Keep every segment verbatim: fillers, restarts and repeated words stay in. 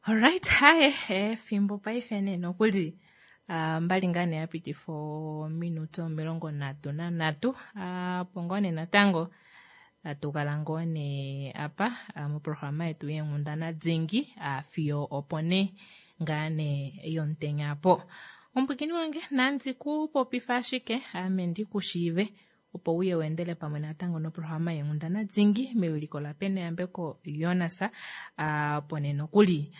Alright, haye efimbo paife nee nokuli uh, mbali ngaa nee yapitifa ominute omilongo nhatu nanhatu opo ngoo nee natango hatu kala ngoo nee apa moprograma yetu yeenghundana dingi fiyo opo nee ngaa nee yomutenya apo. Omupwiikini wange nandi ku popifa ashike ame ndikushiive opo uye weendele pamwe natango noprograma yeenghundana dingi mewiliko laPeneyambeko Jonas opo nee nokuli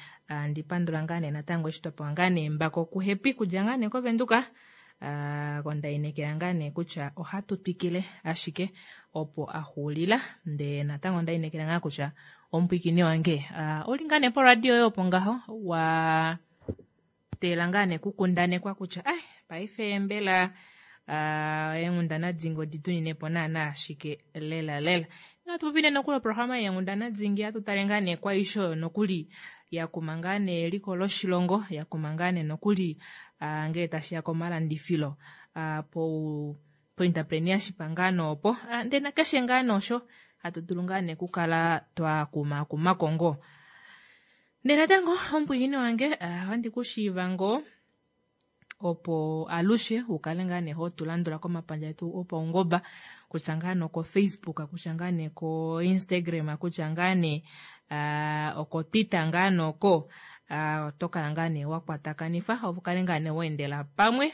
ndi pandula ngaa nee natango eshi twapewa ngaa nee embako kuHappy kudja ngaa nee koVenduka kondainekela ngaa nee kutya ohatu twikile ashike opo axuulila ndee natango ndainekela ngaa kutya omupwiikini wange ouli ngaa nee poradio yoye opo ngaho wa teela ngaa nee kukundanekwa kutya ai paife mbela eenghundana dingi odi tuninepo naana ashike lela lela. Natu popile nokuli oprograma yeenghundana dingi hatu tale ngaa nee kwaisho oyo nokuli yakuma ngaa nee eliko loshilongo, yakuma ngaa nee nokuli ngee tashiya komalandifilo po entrepreneurship ngaa nee opo ndee nakeshe ngaa nee osho hatu dulu ngaa nee okukala twakumaakumako ngoo. Ndee natango omupwiikini wange ohandi kushiiva ngoo opo alushe ukale ngaa nee hotulandula komapandja etu opaungoba kutya ngaa nee oko Facebook, kutya ngaa nee ko Instagram, kutya ngaa nee oko Twitter ngaa nee oko oto kala ngaa nee wakwatakanifwa opo ukale ngaa nee waendela pamwe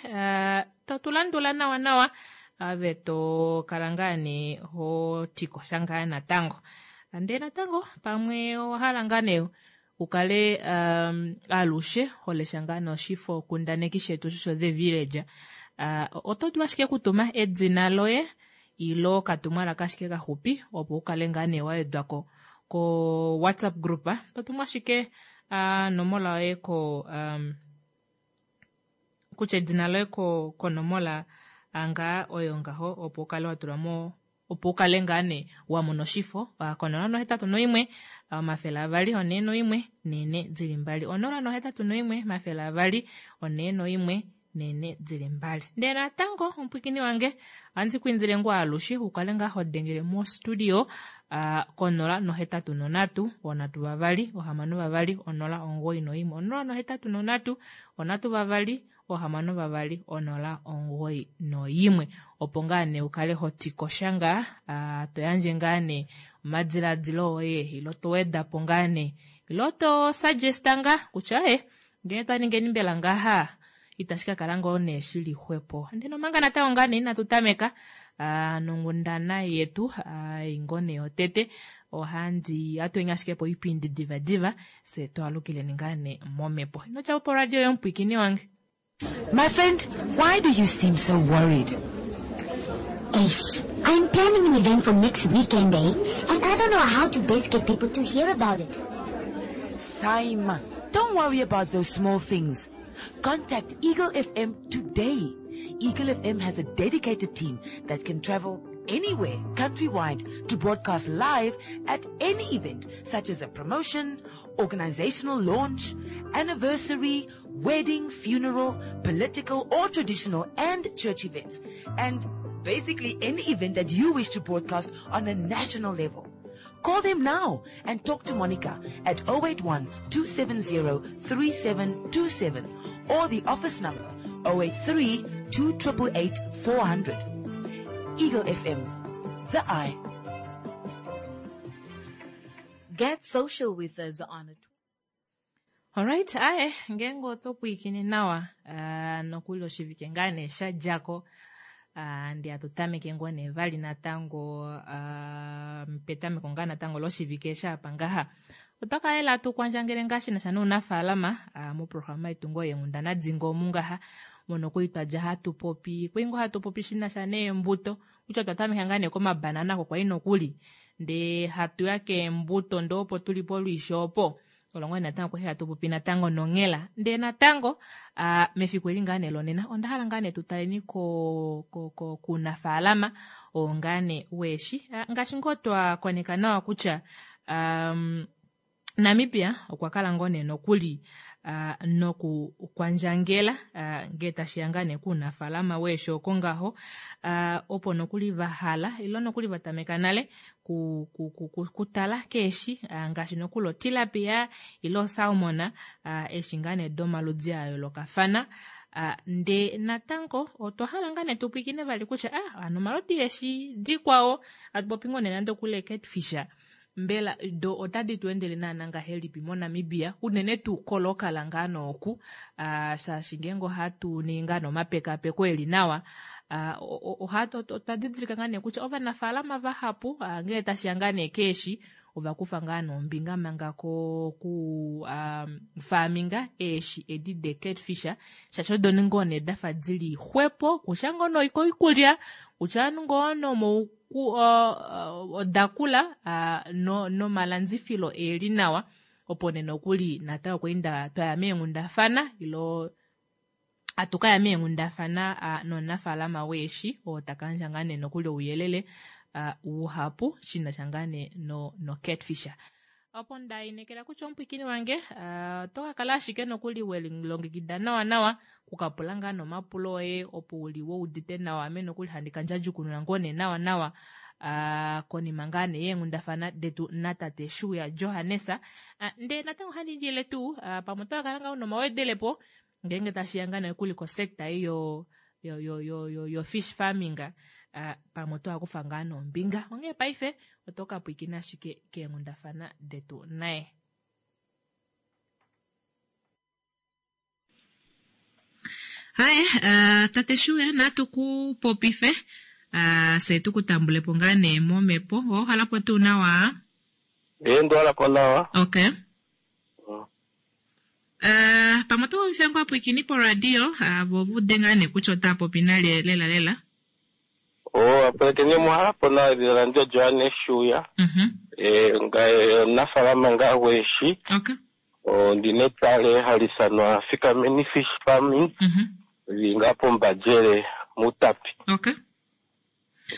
totulandula nawa nawa ove tokala ngaa nee hotikosha ngaa natango. Ndee natango pamwe owahala ngaa nee ukale alushe holesha ngaa nee oshifo kundaneki shetu sho The Village oto dulu ashike okutuma edina loye ile okatumwalaka ashike kaxupi opo ukale ngaa nee wawedwako ko WhatsApp group. Totumu ashike onomola yoye ko kutya edina loye konomola ngaa oyo ngaho opo ukale watulamo opo ukale ngaa nee wamona oshifo konola nohetatu noimwe omafele avali onhee noimwe neenhe dili mbali onola nohetatu noimwe omafele avali onhee noimwe neenhe dili mbali. Ndee natango omupwiikini wange ohandi kwiindile ngoo alushe ukale ngaa hodengele mostudio konola nohetatu nonhatu onhatu vavali ohamano vavali onola omugoyi noimwe onola nohetatu nonhatu onhatu vavali ohamano vavali onola omugoyi noimwe opo ngaa nee ukale hotikosha ngaa toyandje ngaa nee omadilaadilo oye ile towedapo ngaa nee ile to suggesta ngaa kutya ee ngee twaningeni mbela ngaha itashi kakala ngoo nee shili xwepo. Ndee omanga natango ngaa nee inatu tameka nonghundana yetu ei ngoo nee yotete ohandi ohatuyi ashike poipindi diva diva fye twaalukileni ngaa nee momhepo. Ino djapo poradio yoye omupwiikini wange. My friend, why do you seem so worried? Ace, I'm planning an event for next weekend, eh? And I don't know how to best get people to hear about it. Saima, don't worry about those small things. Contact Eagle F M today. Eagle F M has a dedicated team that can travel anywhere countrywide to broadcast live at any event, such as a promotion, organizational launch, anniversary, wedding, funeral, political or traditional and church events, and basically any event that you wish to broadcast on a national level. Call them now and talk to Monica at oh eight one, two seven zero, three seven two seven or the office number oh eight three, two triple eight, four hundred. Eagle F M, the eye. Get social with us on Twitter. Alright, aye, ngeenge oto pwiikine nawa nokuli oshivike ngaa nee shadjako ndee hatu tameke ngoo nee vali natango petameko ngaa natango loshivike eshi apa ngaha. Otwa kala lela hatu kwandjangele ngaa shinasha nounafaalama moprograma yetu ngoo yeenghundana dingi omu ngaha mono kwali twadja hatu popi kwali ngoo hatu popi shinasha neembuto kutya otwa tameka ngaa nee komabanana oko kwali nokuli ndee hatuya keembuto ndee opo tuli polwiishi opo olo ngoo natango kwali hatu popi natango nonghela. Ndee natango mefiku eli ngaa nee lonena onda hala ngaa nee tutaleni ko ko kuunafaalama oo ngaa nee weeshi ngaashi ngoo twakoneka nawa kutya Namibia okwa kala ngoo nee nokuli uh, noku kwandjangela uh, ngee tashiya ngaa nee kuunafalama weeshi oko ngaho uh, opo nokuli vahala ilo nokuli vatameka nale ku, ku, ku, ku, kutala keeshi uh, ngaashi nokuli otilapia ile osalmon uh, eeshi ngaa nee domaludi a yoolokafana. Uh, ndee natango otwa hala ngaa nee tupwiikine vali kutya ah, ano omaludi eeshi dikwao atupopi ngoo nee nande okuli catfish mbela do otadi tu endele naana ngahelipi moNamibia unene tuu kolokala ngaa nooku uh, shaashi ngeenge ohatu ningi ngaa nomapekapeko eli nawa uh, otwa didilika ngaa nee kutya ovanafaalama vahapu uh, ngee tashiya ngaa nee keeshi ovakufa ngaa nombinga manga ko ku um, faaminga eeshi edi de catfish shaashi odo ngoo nee dafa dili xwepo kutya ngoo noikoikulya kutya ngoo nomou odakula uh, no, nomalandifilo eli nawa opo nee nokuli natango okweenda twaya meenghundafana ilo atukaya meenghundafana uh, nomunafaalama weeshi oo takayandja ngaa nee nokuli ouyelele uh, uhapu shinasha ngaa nee no, no catfish. Opo ndainekela kutya omupwikini wange uh, oto kakala ashike nokuli welilongekida nawa nawa kukapula ngaa nomapulo oye opo uli woudite nawa ame nokuli handi kandjadjukununa ngoo nee nawa nawa uh, konima ngaa nee yeenghundafana detu natate Shuuya Johannes. Uh, ndee natango ohandi indile tuu uh, pamwe oto kakala ngaa una omawedelepo ngeenge tashiya ngaa nokuli kosecta ei yo yo yo yo yo, yo fish farming uh, pamwe oto akufa ngaa nombinga onghee paife oto ka pwiikina ashike keenghundafana detu naye. Haye uh, tate Shuuya natu ku popife uh, se tukutambulepo ngaa nee momhepo owakhalapo tuu nawa? Ee ndiwalapo nawa. Okay. Uh, pamwe oto popife ngoo apwiikini poradio uh, vo vude ngaa nee kutya ota popi nale lela lela. Oh, apwekene muhalapo nawa edhina landje Johannes Shuuya. Mhm. Eh, ngaye omunafaalama ngaa gweeshi. Okay. Ondina etale hali ithanwa Fikameni Fish Farming. Mhm. Lili ngaa pombadjele muutapi. Okay.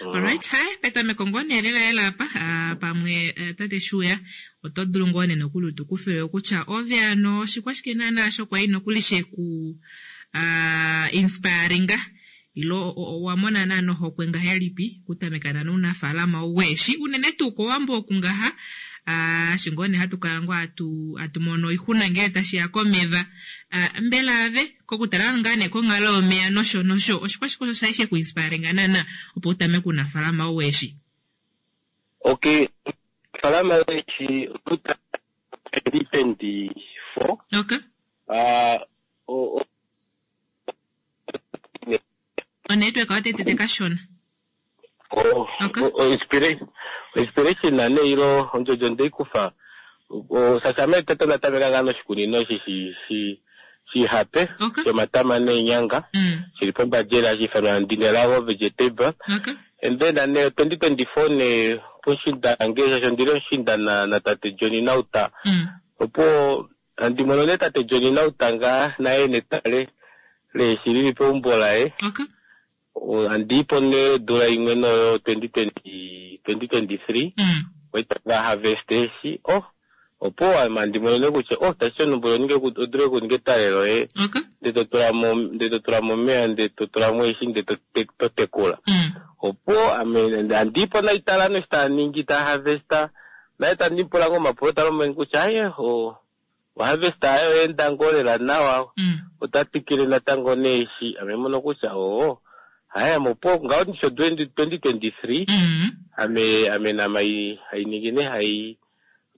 Alright, hi, petameko ngoo nee lela lela apa uh, pamwe uh, tate Shuuya oto dulu ngoo nee nokuli utukufile kutya ove ano oshikwashike naana shokwali nokuli sheku uh, inspiringa ilo wamona naana ohokwe ngahelipi kutameka naana ounafaalama weeshi unene tuu kowambo oku ngaha uh, shi ngoo nee hatu kala ngoo atu, atu mono oixuna ngele tashiya komeva uh, mbela ave kokutala ngaa nee konghalo yomeya nosho nosho oshikwashike osho shali sheku inspiringa naana opo utameke ounafaalama weeshi? Okay, falama weeshi twenty twenty-four. Okay. Uh, o, o, onetwork otetete kashona. Oh, Okay. o, inspiration inspiration na ne ilo ondjojo ndeikufa o sasame tete natameka ngaa noshikunino shi shi shi shihape Okay. shomatama neenyanga Mm. shili pombadjele hashi ithanwa Ndinelago Vegetable. Okay. And then ane twenty twenty-four ne pushinda nge shasho ndili omushinda na, na tate Johnny Nauta. Mm. Opo andi mono ne tate Johnny Nauta ngaa naye netale leeshi lili peumbo laye. Okay. Andiipo ne odula imwe noyo twenty twenty twenty twenty-three Mm. waitanga harvest eeshi. Oh, opo andi mono ne kutya oh tashi onombo ninge odule okuninga etale loye Okay. nde to tulamo nde to tulamo omeya nde to tulamo eeshi nde to to tekula. Mm. Opo ame andiipo naitala noshi taningi ta harvesta naye tandipula ngoo omapulo talombwele kutya aye o oharvesta ayo oyeenda ngoo lela nawa Mm. ota twikile natango neeshi ame mono kutya oo haya mopo ngaho nisho twenty twenty-three Mm. ame ame nama hainingi ne hai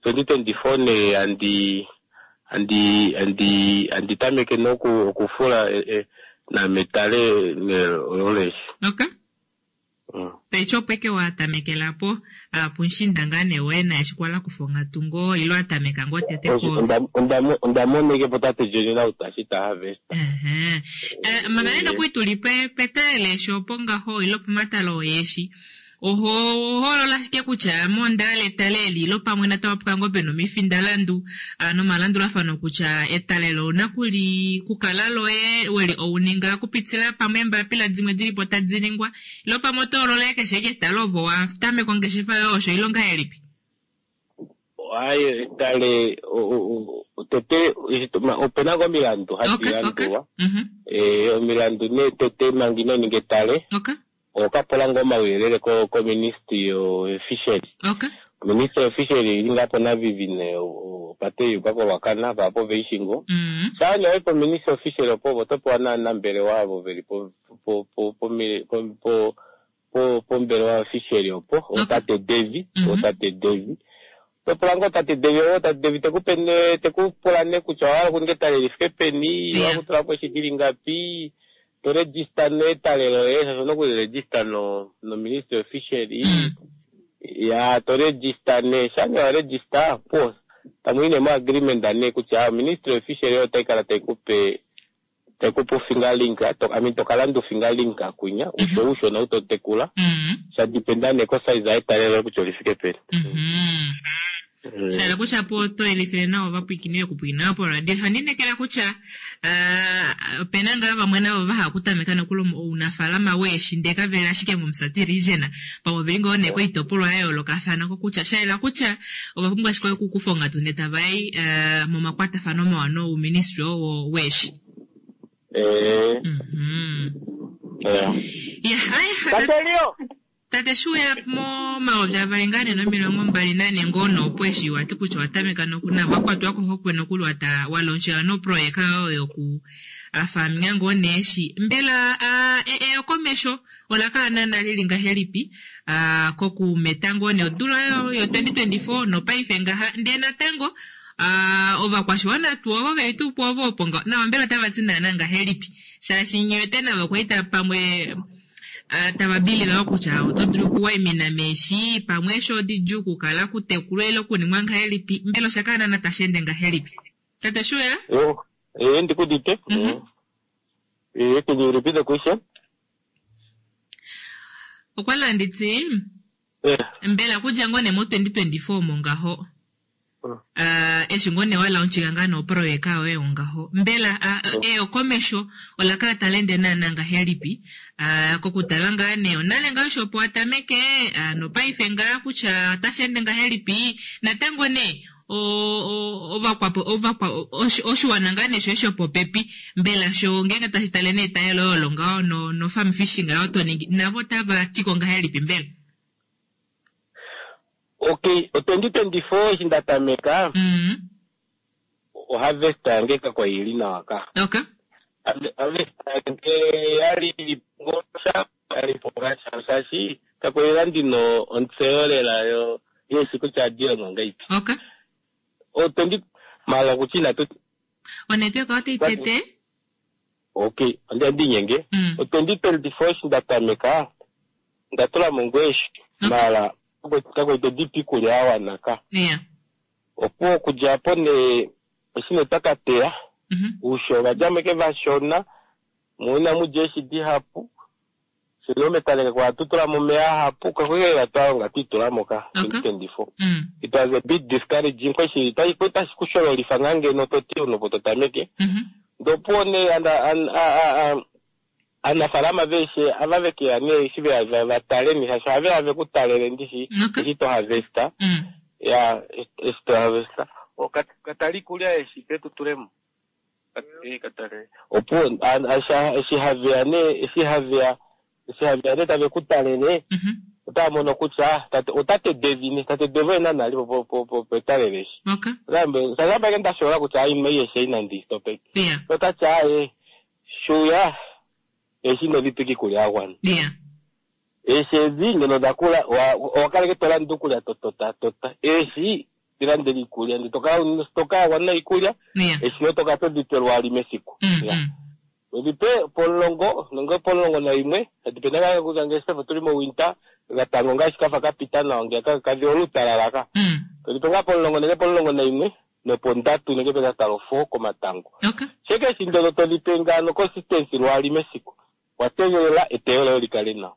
twenty twenty-four ne andi andi andi andi tameke noku okufula e, e, nametale ne loleshi. Okay. Mm. Taityo opo eke watamekela po uh, punshinda ngaa nee woye naye eshi kwala kufa onghatu ngoo ilo atameka ngoo tete ko Onda onda moneke po tate Johnny Nauta eshi ta harvest. Uh-huh. Uh, manga nee nokuli tuli pe petale leeshi opo ngaho ilo pomatalo oyeeshi oho holola ashike kutya mondaala etale eli ilo pamwe natango opo ngoo pena omifindalandu uh, nomalandulafano kutya etale lo ouna kuli kukala loye weli ouninga kupitila pamwe eembapila dimwe dilipo tadi ningwa ilo pamwe oto holola keshe eke etale ovo watameka ongeshefa yoye osho ilo ngahelipi? Aye etale tete opena ngo omilandu hadi landulwa. Eh omilandu ne tete manga ino ninga etale. Okapola ngo omauyelele ko ministry yo fishery. Ministry of fishery ili ngapo na vivine opate yuka kolwakana vapo veishingo. Sha ne po ministry of fishery opo otopewa naanambelewa avo veli po po po po po pombelewa fishery opo otate Devi, otate Devi. Topola ngo tate Devi, otate Devi tekupe ne tekupula ne kutya owahala okuninga etale lifike peni, owakutula po eshi ngapi, to register ne etale loye, shaashi owuna okuliregister no no ministry of fishery. Ya to register ne, sha ne wa register po tamu yi ne mo agreement ne kutya ministry of fishery otayi kala tayi kupe tayi kupe fingerlink, to I mean tokalanda fingerlink kunya, usho ushona utotekula. Sha dependa ne ko size yetale loye kutya olifike peni. Shala kutya po to elifile nawa vapwikine yokupwina po radio. Ohandinekela kutya opena ngaa vamwe navo vahala okutameka nokuli ounafaalama weeshi ndee kaveli ashike momusati region pamwe oveli ngoo nee koitopolwa ya yoolokathana kokutya shayela kutya ova pumbwa ashike okukufa onghatu ndee tavayi momakwatafano mawa nouministry oo weeshi. Eh. Ya, tate shuya momayovi avali ngaa nee nomilongo mbali nane ngoo noopo eshi wati kutya watameka nokuna wakwatwa kohokwe nokuli walonshela noproyeka oyo yoku afaminga ngoo neeshi mbela eyokomesho ola kala naana lili ngahelipi kokumeta ngoo nee odula yo twenty twenty-four nopaife ngaha ndee natango ovakwashiwana tuu ovo veli tuu po ovo opo nawa mbela otava ti naana ngahelipi shaashi nyewete navo kwaita pamwe tava kutya oto dulu okuwaimina meeshi pamwe eshi odidjuu okukala kutekulwa ile okuningwa ngahelipi mbela osha kala naana tashi ende ngahelipi tate Shuya? Eh ndikudite. Eh can you repeat the question? Okwa landiti mbela kudja ngoo nee mo twenty twenty-four mongaho eshi ngoo nee walaunchika ngaa noproyeka yoye ongaho mbela eyokomesho ola kala tali ende naana ngahelipi kokutala ngaa nee onale ngaa osho opo watameke nopaife ngaa kutya otashi ende ngahelipi natango nee ovakwapo ovakwa oshiwana ngaa nee shoye shopopepi mbela sho ngeenge tashi tale nee etayelo olo ngaho no no farm fishing ayo to ningi navo otava tiko ngahelipi mbela? Okay, twenty twenty-four eshi ndatameka oharvest yange kakwa ili nawa ka. Okay. Harvest yange yali ngosha yali pongasha shaashi kakwalila ndino ontseyo lela yo yeshi kutya adilongo ngaipi. Okay. O twenty mala kutya inatu Onetwork otayi tete? Okay, onda ndinyenge. O twenty twenty-four eshi ndatameka ndatula mo ngweshi mala kakwaito dipi iikulya ya wana ka. Opo okudja po nee eshi nee twakateya uusho ovadjamo eke vashona mo inamudja eeshi dihapu shino metale kakwa tutula mo omeya ahapu kakwali twalonga twiitulamo ka twenty twenty-four. It was a bit discouraging kweshi tashi kushololifa ngaa ngeno toti onopo totameke. Ndopo nee aanafaalama veeshe ava vekeya nee eshi veya vatale nee shaashi ohaveya vekutalele ndishi eshi to harvesta. Ya eshi to harvesta katala iikulya eshi petutulemo. Opo eshi haveya nee eshi haveya eshi haveya nee tave kutalele otava mono kutya otate Devi nee tate Devi oye naana ali petale leeshi. Shaashi ndashola kutya aima eeshi inandi stopeke. Otati aaye Shuya eeshi inodhi iikulya ya gwana. Eeshi ezi ngeno odhakula owakaleke tolanda okulya totota tota. Eeshi dhilandele iikulya ndee tokala stoka ya gwana iikulya eeshi notokala todhipe lwaali mesiku. Odhipe pomulongo nenge pomulongo nayimwe adipenda ngaa kutya ngele otuli mowinter gatango ngaashi kafa kapita nawa ngeya kadhi olutalala ka. Todhipe ngaa pomulongo nenge pomulongo nayimwe nopondatu nenge petatalo four komatango. Sheke eshi ndono todhipe ngaano consistency lwaali mesiku wategelela eteyo loye likale nawa.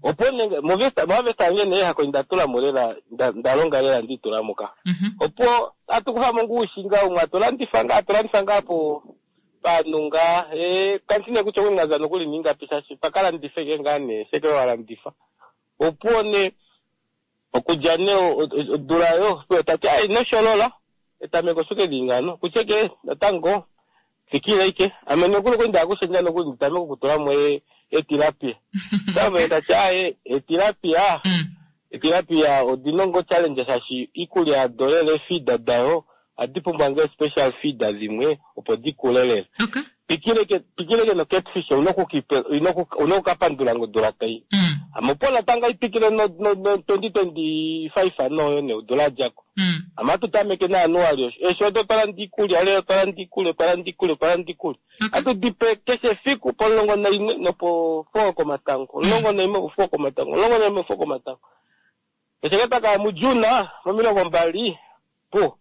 Opo nenge moharvest yange nee hako ndatulamo lela ndalonga lela ndiitulamo ka. Opo atukuthamo ngaa uushinga umwe atulandifa ngaa atulandifa ngaa po panhu ngaa kandi nee kutya okwali mwaza nokuli ningapi shaashi pakalandife ke ngaa nee sheke walandifa. Opo nee Okudja nee odula yo tati ai nosholola etameko shuke lingano kucheke natango fikile ike ame nokuli kwenda kushenja nokuli nditameke okutulamo etilapia tame tati aye etilapia etilapia odinongo challenge shashi ikulya yado feed dayo adipumbwa nge special feed dhimwe opo dikulelele. Okay. Pikileke pikileke no catfish unokukipe unokukapandula ngodula tai. Mm. Amapola tanga ipikile no no, no twenty twenty-five ano ne udula jako. Mm. Amatutameke na anuali esho do parandi kulya le parandi kulya parandi kulya parandi kulya. Okay. Atu dipe keshe fiku polongo na imwe no po four komatango. Longo na imwe four komatango. Longo na imwe four komatango. Esheketa ka mujuna momilongo mbali po.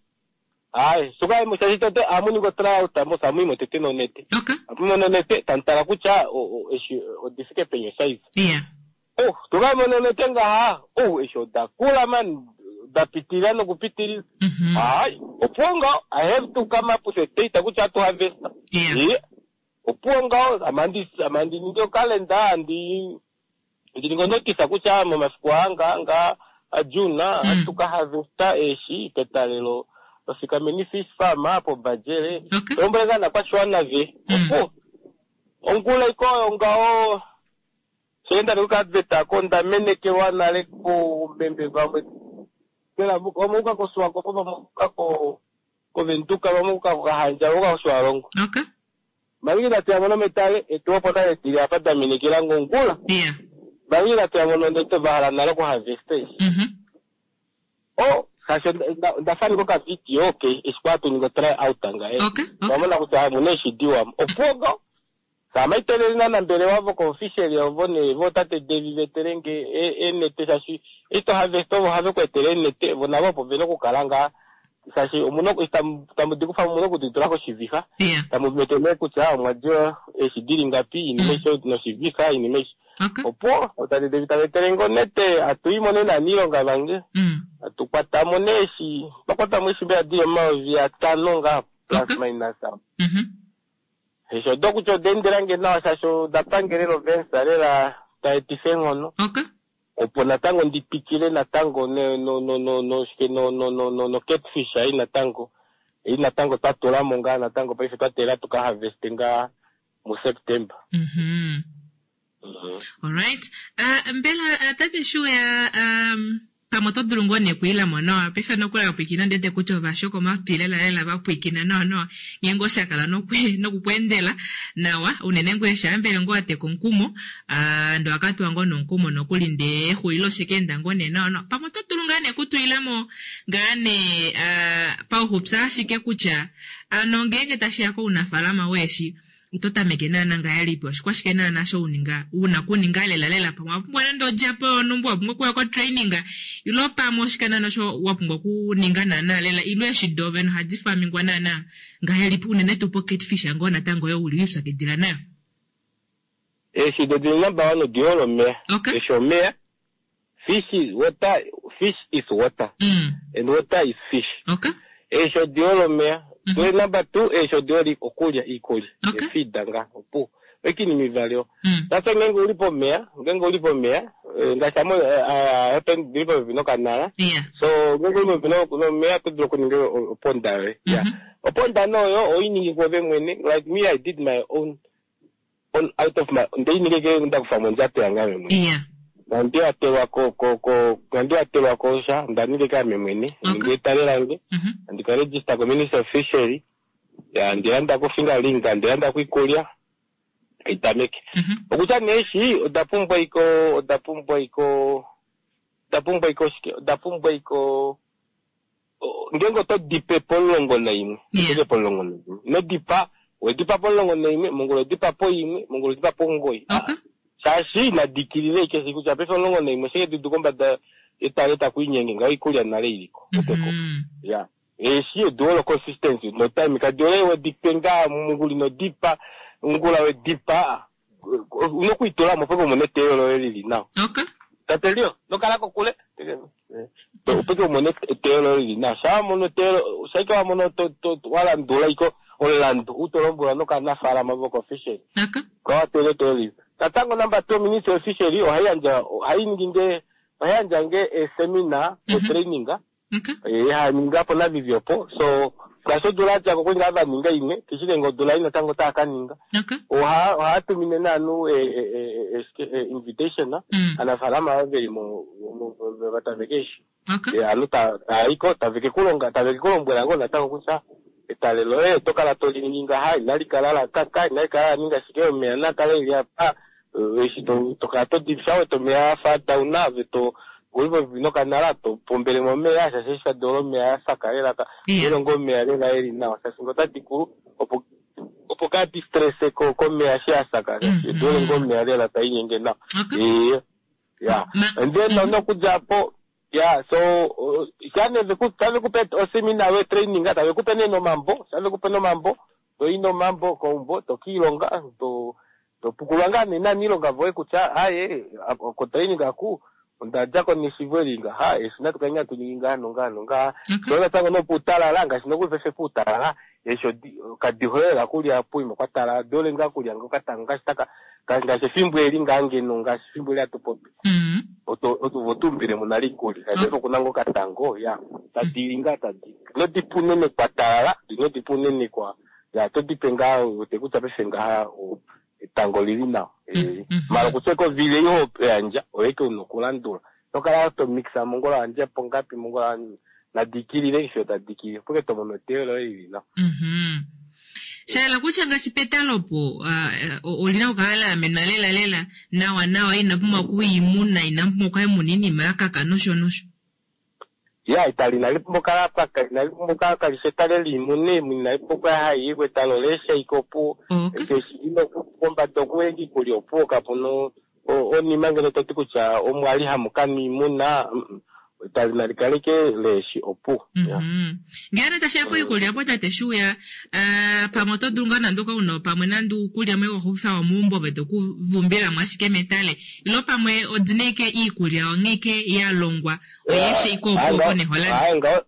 Ai, suka mo shashitote amuni go try out mo samu mo tete no nete. Okay. Amu no nete tantala kucha o eshi odifike penye size. Yeah. Oh, tuka mo no nete nga oh esho da kula man da pitira no kupitiri. Mhm. Ai, oponga I have to come up with a date kucha to harvest. Yeah. Yeah. Oponga amandi amandi ndio calendar andi ndi notice kucha mo masiku anga anga ajuna Mm. tuka harvesta eshi petalelo. Ofikameni fish farm hapo bajere. Okay. Tombolega na kwashwana ve. Mm. Opo. Ongula iko ngao. Senda luka adveta konda menekewa nale ko mbembe vamwe. Kela omuka ko swako ko muka ko ko ventuka vamuka ko hanja ko swalongo. Okay. Malingi tati amono metale etuwa pota etili apa damenekela ngongula. Yeah. Malingi tati amono ndete bahala nale ko harvest. Mhm. Oh, sasho ndafaniko ka video okay esikwatu ningo try out anga eh. Okay. Okay. Wamona kuti amune shidiwa opogo samaiteleli nanambele wavo ko official ovo ne vo tate David veterenge enete shashi ito harvest ovo have kwetele enete vo navo opo vena okukala nga shashi omuno tamudikufa muno kutitula koshiviha Yeah. tamumetele kutya omwadyo eshi dili ngapi inima isho noshiviha inima isho Okay. opo tate David tavetelenge onete atuimone naniilonga vange Mm. atukwatamo neeshi twakwatamo eshi mbela dili omayovi atano nga plus Okay. minus Mhm. esho do kutya odendelange nawa shasho dapangelelo vensa lela taetifa enghono Okay. opo natango ndipikile natango no no no no no shike no no no no no catfish ai natango ei natango twatulamo ngaa natango paife twatela tuka harvest nga mu September. Mhm. All right. Uh, mbela uh, tate Shuya um pamwe oto dulu ngoo nekuilamo nawa paife nokula pwikina ndete kutya ovashoko omatwi lela vapwikina nawa nawa ngeenge oshakala nokukweendela nawa unene ngwee shaambele ngoo wateka omukumo uh, ndo akatuwa ngoo nomukumo nokuli ndee exulilo shekeenda ngoo nee nawa nawa pamwe oto dulu ngaa nekutwilamo ngaa nee uh, pauxupya ashike kutya ano ngeenge tashiya kounafalama weeshi oto tameke naana ngahelipi oshikwashike naana sho uninga una kuninga lela lela pamwe wapumbwa nande odjapo yonumba wapumbwa okuya kotraining ilo pamwe oshike naana sho wapumbwa okuninga naana lela ilo eshi dove nohadi famingwa naana ngahelipi unene tuu pocatfish ngoo natango yo uli wipyakidila nayo. Eshi dodi number one odiolo omeya. Okay. Eshi omeya fish is water, fish is water. Mm. And water is fish. Okay. Eshi odiolo omeya. Mm-hmm. Twe number two eshi odioli okulya iikulya. Okay. Efida nga opu. Ekini mivalio. Mm. Sasa ngenge ulipo omeya, ngenge ulipo omeya, ngaashi amo happen ndilipo pepi nokanala. Yeah. So ngenge ulipo pepi nomeya oto dulu okuninga oponda yoye. Yeah. Mhm. Oponda noyo oyiningi kwove mwene. Like me I did my own on out of my ndeyiningeke ndakufa mondjato yange ame mwene. Yeah. Nandi ko ko ko nandi atelwa ko sha ndaningeke ame mwene. Okay. Ninge etale lange. Mhm. Andika register ko Ministry of Fishery. Ya ndilanda ko fingerling, ndilanda kuikulya. Itameke. Mhm. Okutya neeshi oda pumbwa iko oda pumbwa iko oda pumbwa iko shike oda pumbwa iko ngenge oto dipe pomulongo naimwe. Yeah. Otoke pomulongo naimwe. Ino dipa wedipa pomulongo naimwe, mongula odipa po imwe, mongula odipa po omugoyi. Okay. Shaashi nadikilile ike kutya paife omulongo naimwe sheke dudu kombada etale takuinyenge ngaho ikulya nale iliko. Oteko. Mhm. Yeah. Eshi odiolo consistency no time kadiole wedipe nga munguli no dipa ngula wedipa unokuitulamo peke umone eteyo loye lili nawa. Okay. Tate Leo, nokala kokule. Opeke umone eteyo loye lili nawa. Sha wamono eteyo, shaike wamono to to walandula iko olandu utolombula nokanafalama voko fishery. Okay. Kwa watele eteyo lili. Tatango number two Ministry of Fishery ohayi yandja ohayi ningi nge Oha yandja esemina, training. Okay. Eh, haninga po naVivi opo. So ngaashi odula yadjako okuli ngaa vaninga imwe, keshike ngee odula ei natango otava kaninga. Okay. Oha ohatumine naanhu invitation Mm. aanafalama ava veli mo vataveke eshi. Okay. Ovanhu tayiko taveke kulonga taveke kulombwela ngoo natango kutya etale loye oto kala toli ngaha, inali kala lakaka, inali kala laninga shike, omeya nakale eli apa, eshi tokala todi wete omeya afa down ove to uli popepi nokanala to pombele mo omeya shaashi eshi tadi olo omeya asaka lela Yeah. ilongo omeya lela eli nawa shaashi ngo otadi kulu opo opo kadi stresse komeya shi asaka shaashi Mhm. odi ngoo omeya lela tainyenge nawa. Okay. Ee, ya Ma- and then Mhm. nokudja po ya so uh, shane veku tave kupe oseminar we training tave kupe nee nomambo shave kupe nomambo toyi nomambo koumbo tokiilonga to topukulwa ngaa nee naaniilonga voye kutya aye ko training aku ondadjako neshivo eli ngaha eshi natu kale ngah tuningi ngaha nongaha nongaha Okay. so natango nopuutalala ngaashi nokuli paife puutalala eshi odi kadi hole lela kulya poima kwatalala dole ngaa kulya ngokatango ngaashi taka ngaashi efimbo eli ngaa ngeno ngaashi efimbo eli hatu popi Mm. oto oto tumbile mo nale iikulya shaashi Mm. okuna ngoo katango ya tadi li ngaa tadi inodipa unene kwa talala inodipa unene kwa ya todipe ngaa wete kutya paife ngaha o- etango lili nawa Eh, Mhm. mala okutya kovile iho yandja oyeke una okulandula tokala to mixa mongola wandje po ngapi mongola nadikilile fiyo tadikilile opo ke tomono eteyo loye lili nawa. Mhm. Shayela kutya ngaashi petalopo ah, eh, olina okukala la amenwa lela lela nawa nawa ina pumbwa okuimuna ina pumbwa okuimuna iinima yakaka nosho nosho. Ya etale inali pumbwa okukala paka inali pumbwa okukala kalishi etale liimuna inali pumbwa okukala hayi etale oleesha ike opuwo Okay. keshi ino kombada okuwenga iikulya opuwo kapuna onima ngeno toti kutya omwali hamu kanwa iimuna mm, etale nali kaleke leeshi opuwo. Ya. Mhm. Ngele tashiya poikulya po tate Shuuya, ah, pamwe oto dulu ngaa nande ukauna pamwe nande uukulya mwe wahupifa womeumbo ove tokuvumbila mo ashike metale ilo pamwe odina ike iikulya onghee ike ya longwa oyeeshe ike opuwo po neholani. Ayi ngaho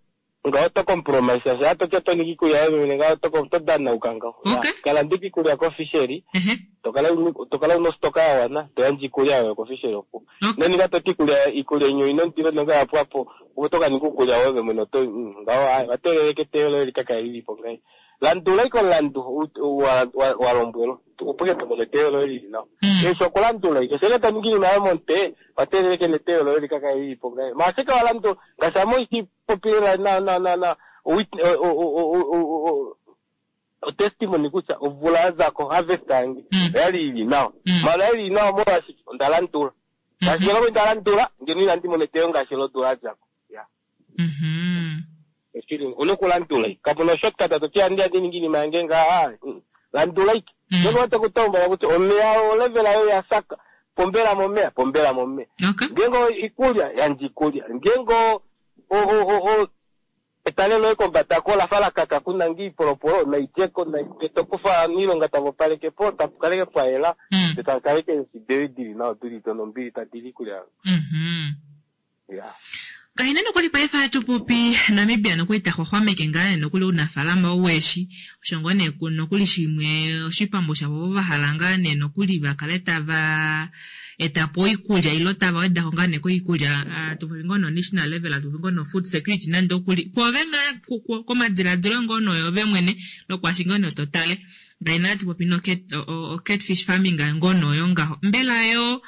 ngaho to compromise sha toti oto ningi iikulya yoye mwene ngaho to to danauka ngaho. Ya, Okay. Kala ndika iikulya kofisheri Ehe. tokala tokala una ostoka ya wana toyandja iikulya yoye kofisheri opuwo. Okay. Noninga toti iikulya iikulya inyo ina ondilo nonga ya pwapo opo tokaninga uukulya woye mwene oto mm, ngaho ayi wateleleke eteyo loye likakale lilipo ngayi. Landula ike omulandu u- wa- wa- wa lombwelwa opo ke tomono eteyo loye lili nawa. Mm. Eshi okulandula ike sheke toningi iinima yoye momutwe wateleleke neteyo loye likakale lilipo ngayi. Maashike walandula ngaashi ame oishipopilela na na na na wit- o- o- o- o- o- o- o testimony kutya omvula yazako harvest yange Mm. oyali ili nawa. Mm. Mala oyali ili nawa molwashike onda landula. Ngaashi ngeno inda landula ngeno inandi mona eteyo ngaashi lodula yadjako. Ya. Mhm. Eshili una okulandula ike. Kapuna shortcut toti andi andi ningi iinima yange ngaha. Mm. Landula ike. Mm. Ngeno wate kutombola kutya omeya olevela yoye yasaka pombela momeya pombela momeya. Okay. Ngengo iikulya yandja iikulya. Ngengo o o o o etale loye kombada ko lafa lakaka kuna ngi iipolopolo naidjeko tokufa aaniilonga tava opaleke po tapu kaleke pwa yela Mm. takaleke eshi dili nawa dili donombili tadili iikulya Mhm. ya. Kahina nokuli paife hatu popi Namibia nokuli ta xwaxwameke ngaa nee nokuli ounafaalama weeshi osho ngoo nee nokuli shimwe oshipambu shavo vo vahala ngaa nee nokuli vakale tava etapo oikulya ilo tava wedako ngaa nee koikulya ah, tupopi ngoo no national level atupopi ngoo no food security nande okuli kwoove ngaa komadiladilo ngoo noyove mwene lokwashi ngoo nee totale ngaina hatu popi no cat, o, o, catfish farming ngoo noyo ngaho mbela yo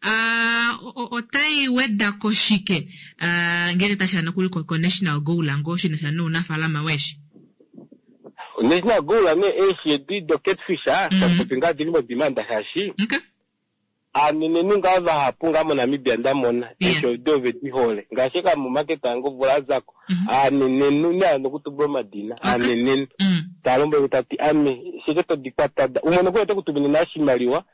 Uh, otai wedako shike uh, ngele tashiya nokuli ko national goal ngoo shinasha nounafaalama weeshi National goal nee eeshi edi do catfish ah, Mhm. tatupopi ngaa dili modimanda shaashi okay. aanenenhu ngaa vahapu ngaa moNamibia ndamona Yeah. eeshi odi ove di hole ngaashi ka momaketa yange omvula yazako Mhm. aanenenhu nee nokutumbula omadina Okay. aanenenhu Mm. talombwele tati ame shike todi kwata da umwe nokuli ote kutumine na oshimaliwa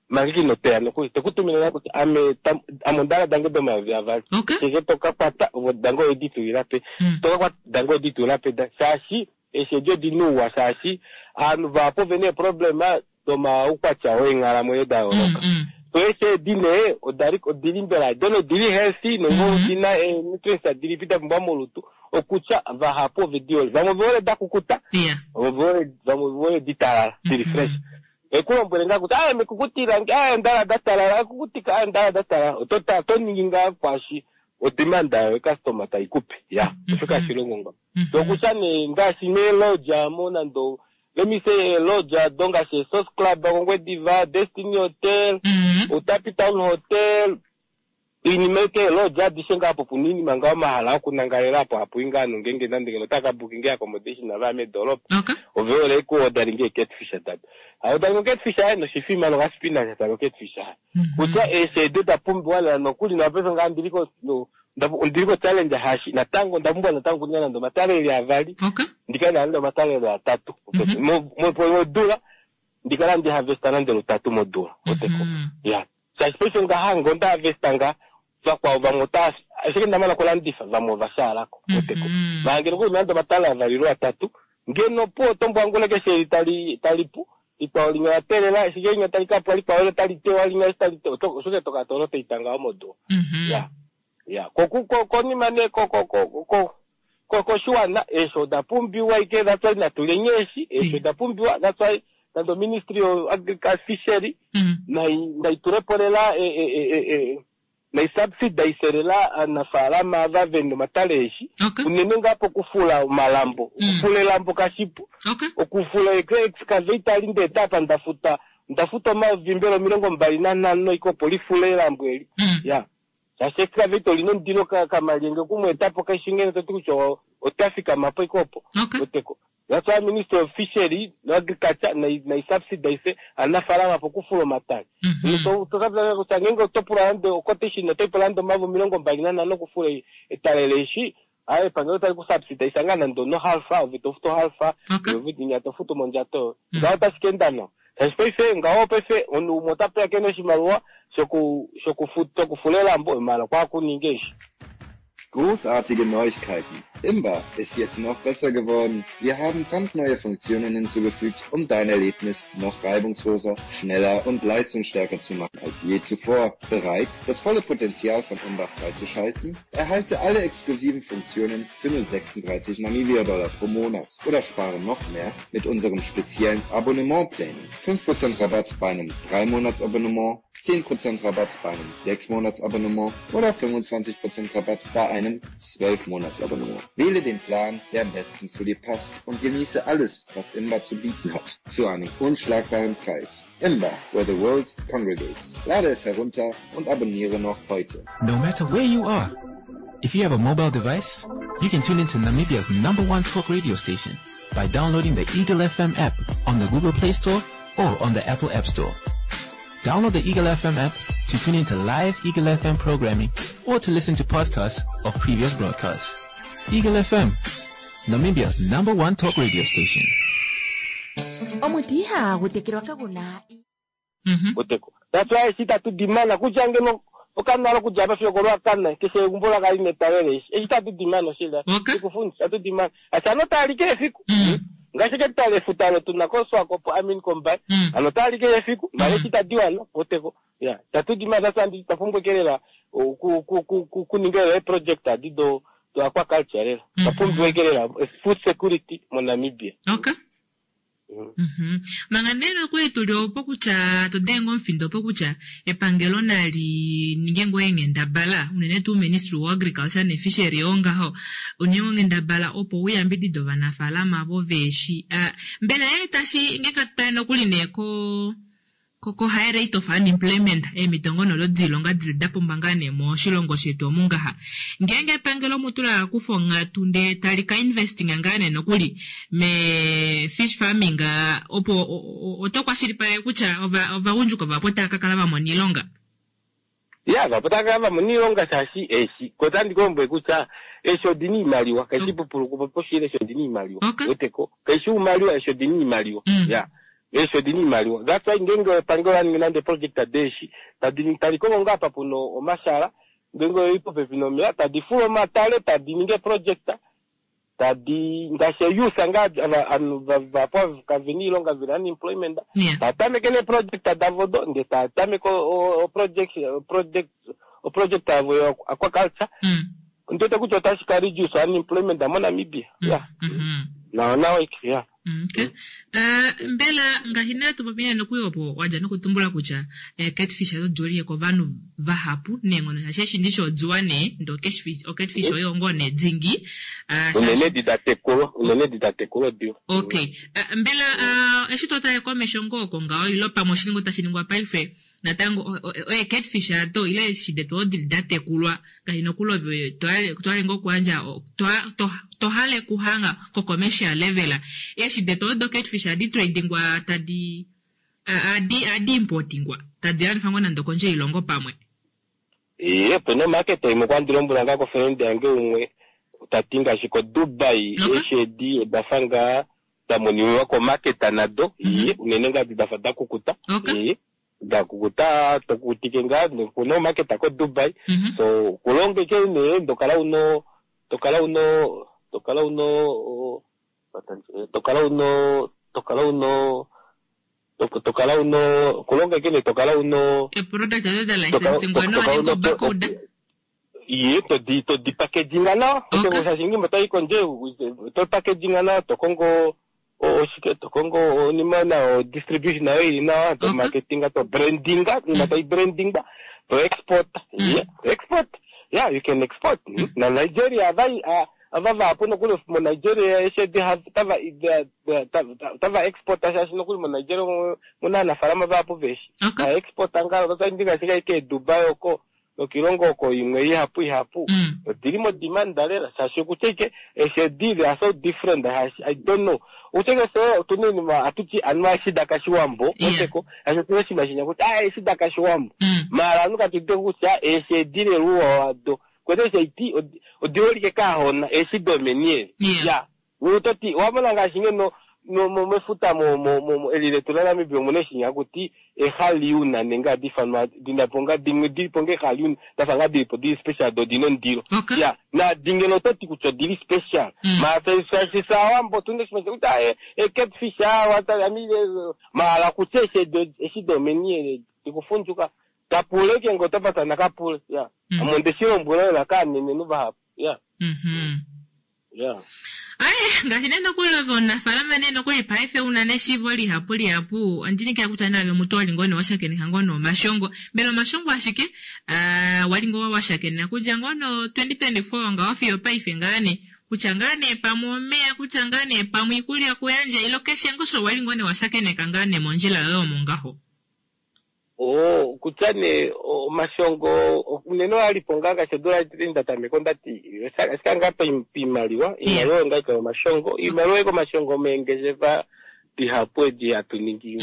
manga ino toya nokuli tekutumine na kutya ame tam- ame ondala dange domayovi avali Okay. shike toka kwata ovo dange oyedi tulila pe Mm. toka kwata dange oyedi tulila pe da shaashi eeshi edi odina ouwa shaashi aanhu vahapu ovena eeproblema domaukwatya weenghalamwenyo da Mm, yooloka mm. so eeshi edi nee odali odili mbela dono odili healthy nenge Mhm. odina ee-nutrients adilipi da pumbwa molutu okutya vahapu ovedi hole vamwe ovehole da kukuta Yeah. vamwe ovehole vamwe ovehole ditalala dili Mhm. fresh Ekulombwele ngaa kutya aye mekukutilange aye ndala datalala ekukutika aye ndala datalala oto ta to ningi ngaa kwashi odemanda yayo customer taikupe ya osho kashilongo nga tokutya nee ngaashi meelodge amo nando let me say elodge ado ngaashi Source Club kOngwediva, Destiny Hotel, Outapi Town Hotel, iinima eke elodge adishe ngaa apo puna iinima ngaa omahala okunangalela apo hapu i ngaa nongenge nande ngeno otaka bookinge accommodation navaya medoolopa ove hole ku orderinge catfish dado haodaringe catfish aye noshifima nokaspinach talo catfish aye kutya eeshi edo da pumbiwa lela nokuli nopaife ngaa ndili ko ondili ko challenge hashi natango onda pumbwa natango okuninga nande omatalele avali ndikale nande omatalele atatu modula ndikala ndi harvesta nande lutatu modula oteko ya shaashi paife ngaha ngo nda harvesta nga vakwao vamwe ota ashike ndamana okulandifa vamwe ovashaalako oteko maangele kuli nande omatale avali lwatatu ngeno po otombwangula keshe tali tali pu likwao linya latelela ashike linya tali kapwa likwao tali tewa linya tali tewa oshoke toka tolo toitanga omodula ya ya ko konima ne ko ko ko ko ko koshiwana eeshi oda pumbiwa ike that's why natuleni eeshi eeshi oda pumbiwa that's why nando ministry of agriculture fishery nai naitulepo lela e e e nai subsidize lela aanafaalama ava vena omatale eeshi unene ngaa pokufula omalambo okufula elambo kashipu okufula excavator ndee tapa ndafuta ndafuta omayovi mbela omilongo mbali nanhano ike opo lifule elambo eli ya shaashi excavator olina omundilo kamalyenge okumweetapo kaishi ngene toti kutya otafikamapo ike opo oteko that's why ministry of fishery no agriculture nai subsidize aanafaalama pokufula omatale kutya ngenge oto pula nande oquotation otoyi pula nande omayovi omilongo mbali nanhano okufula etale leeshi aye epangelo tali ku subsidize ngaa nande ono half ove tofutu half ove tofutu mondjato ngaho otashi ka enda nawa shaashi paife ngaho paife omunhu umwe ota pewa kena oshimaliwa shoku shokufula elambo mala kwakuninga eeshi. Großartige Neuigkeiten! Imba ist jetzt noch besser geworden. Wir haben brandneue Funktionen hinzugefügt, um dein Erlebnis noch reibungsloser, schneller und leistungsstärker zu machen als je zuvor. Bereit, das volle Potenzial von Imba freizuschalten? Erhalte alle exklusiven Funktionen für nur sechsunddreißig Namibia-Dollar pro Monat oder spare noch mehr mit unserem speziellen Abonnementplänen. fünf Prozent Rabatt bei einem drei Monats Abonnement, zehn Prozent Rabatt bei einem sechs Monats Abonnement oder fünfundzwanzig Prozent Rabatt bei einem zwölf Monats Abonnement. Wähle den Plan, der am besten zu dir passt und genieße alles, was Imba zu bieten hat, zu einem unschlagbaren Preis. Imba, where the world congregates. Lade es herunter und abonniere noch heute. No matter where you are, if you have a mobile device, you can tune into Namibia's number one talk radio station by downloading the Eagle F M app on the Google Play Store or on the Apple App Store. Download the Eagle F M app to tune into live Eagle F M programming or to listen to podcasts of previous broadcasts. Eagle F M, Namibia's number one talk radio station. That's why eshi tatu dimana kutya ngeno okanalo kudja apa fiyo kolwakana keshe egumbo lakali netalele eshi eshi tatu dimana oshila ikufundisa tatu dimana asano taalike efiku ngaashi ketale efuta olo tuna koSwakopo I mean Kombai ano taalike efiku mala eshi tadiwana oteko ya tatu dimana sasa ndi tapumbwekelela kuninga eproject adi do do aquaculture lela tapumbwekelela food security moNamibia. Okay. Mhm. Manga nena kwetu lyopo kutya todenga omufindo opo kutya epangelo nali ninge ngoo eenghendabala unene tuu Ministry of Agriculture ne Fishery ongaho uninge onghendabala opo uyambidide ovanafaalama vo veeshi. Uh, mbela ee tashi nge katale nokuli nee ko ko high rate of unemployment eemitongo nolo dilonga dili da pumba ngaa nee moshilongo shetu omungaha ngeenge epangelo mutula kufa onghatu ndee tali ka investing ngaa nee nokuli me fish farming opo oto kwashilipaleke kutya ovagundjuka vapo tava ka kala vamona iilonga. Ya vapo tava kala vamona iilonga shaashi eeshi kotandi kulombwele kutya eeshi odina iimaliwa kaishi pupuluku poshile eeshi odina iimaliwa weteko kaishi umaliwa eeshi odina iimaliwa ya eeshi odina iimaliwa. That's why ngenge epangelo laningi nande project adeeshi tadi tali kongo ngaa apa puna omashala ngenge oli popepi nomeya tadi fula omatale tadi ningi eproject tadi ngaashi youth ngaa ovanhu vapo kavena iilonga vena unemployment tatameke neeproject davo do ndee tatameke oproject project oproject yavo yo aquaculture ndiwete kutya otashi ka reduce unemployment moNamibia. Ya nawa nawa ya. Okay. Uh, mbela ngaashi nee tupopi nee nokuyo opo wadja nokutumbula kutya eh, catfish oyo odiholike kovanhu vahapu neenghono shaashi eshi ndishi odiwa nee ndee okatfish okatfish oyo ngoo nee dingi uh, Unene edi da tekulwa, unene edi da tekulwa odiwa. Okay. Uh, mbela uh, eshi to tale komesho ngoo oko ngaho ilo pamwe oshiningo tashi ningwa paife natango oye catfish ato ile eshi detu odi da tekulwa ngaashi nokuli ove twale ngoo okuyandja tohale kuhanga ko commercial level eshi detu odo catfish adi tradingwa tadi adi adi importingwa tadi landifwa ngoo nande kondje yoilongo pamwe. Iye, opena omarket imwe kwandi lombwela ngaa kofriend yange umwe tati ngaashi ko Dubai eshi edi odafa ngaa da moniwa komarket nado, iye, unene ngaa edi dafa da kukuta, iye, da kukuta tokutike ngaa kuna omarket ko Dubai, so kulonga ike nee tokala uno tokala uno tokala uno tokala uno tokala uno tokala uno kulonga ike nee tokala uno e product azo da licensing no ni bakuda iye todi todi packaginga nawa okay. Shaashi ngimba tayi kondje to packaginga nawa tokongo oshike tokongo onima nawa distribution nayo ili nawa to marketinga to brandinga nima tayi brandinga to export, yeah, export, yeah, you can export. Na Nigeria avai ava vahapu nokuli mo Nigeria eshi tava tava export shaashi nokuli mo Nigeria muna aanafalama vahapu veshi ha export ngaa otaindi ngaashi kaike Dubai oko nokilongo oko imwe ihapu ihapu odili mo demand lela shaashi okutya ike eshi edi they are so different. I don't know uteke so otuna iinima atuti anuwa eshi dakashiwambo oteko shaashi otuna oshinima shinya kutya ah eshi dakashiwambo maala anu katudite kutya eshi edi leluwa wado kwete eshi iti odiholike kaahona eshi domenieli ya utoti wamona ngaashi ngeno mefuta eli letu laNamibia omuna eshinya kuti ehaliuna nenge hadi ifanwa dinapo nga dimwe dilipo nga ehaliuna dafa nga dilipo dili special do odina omundilo ya nadi ngeno ototi kutya odili special maala shaashi saawambo otuna oshinima kutya e catfish maala kutya eshi domeni dikufundjuka kapule ke ngo otapatana kapule ya ame ondeshi lombwela lela kaanenenhu vahapu ya ya. Aye, ngaashi nee nokuli ove omunafaalama nee nokuli paife una neshiivo lihapu lihapu ondinikila kutya naave mutu wali ngoo nee washakeneka ngoo nee omashongo mbela omashongo ashike uh, wali ngoo washakeneka kudja ngoo no twenty twenty-four ngaho fiyo paife ngaa nee kutya ngaa nee pamwe omeya kutya ngaa nee pamwe iikulya kuyandja ilo keshe ngoo osho wali ngoo nee washakeneka ngaa nee mondjila yoye omo ngaho. Oh, kutya nee omashongo unene oalipo ngaa ngaashi odula ndatameka ondati ashike ngaa piimaliwa iimaliwa oyo ngaa ika omashongo iimaliwa oyo omashongo meengeshefa dihapu edi hatu ningi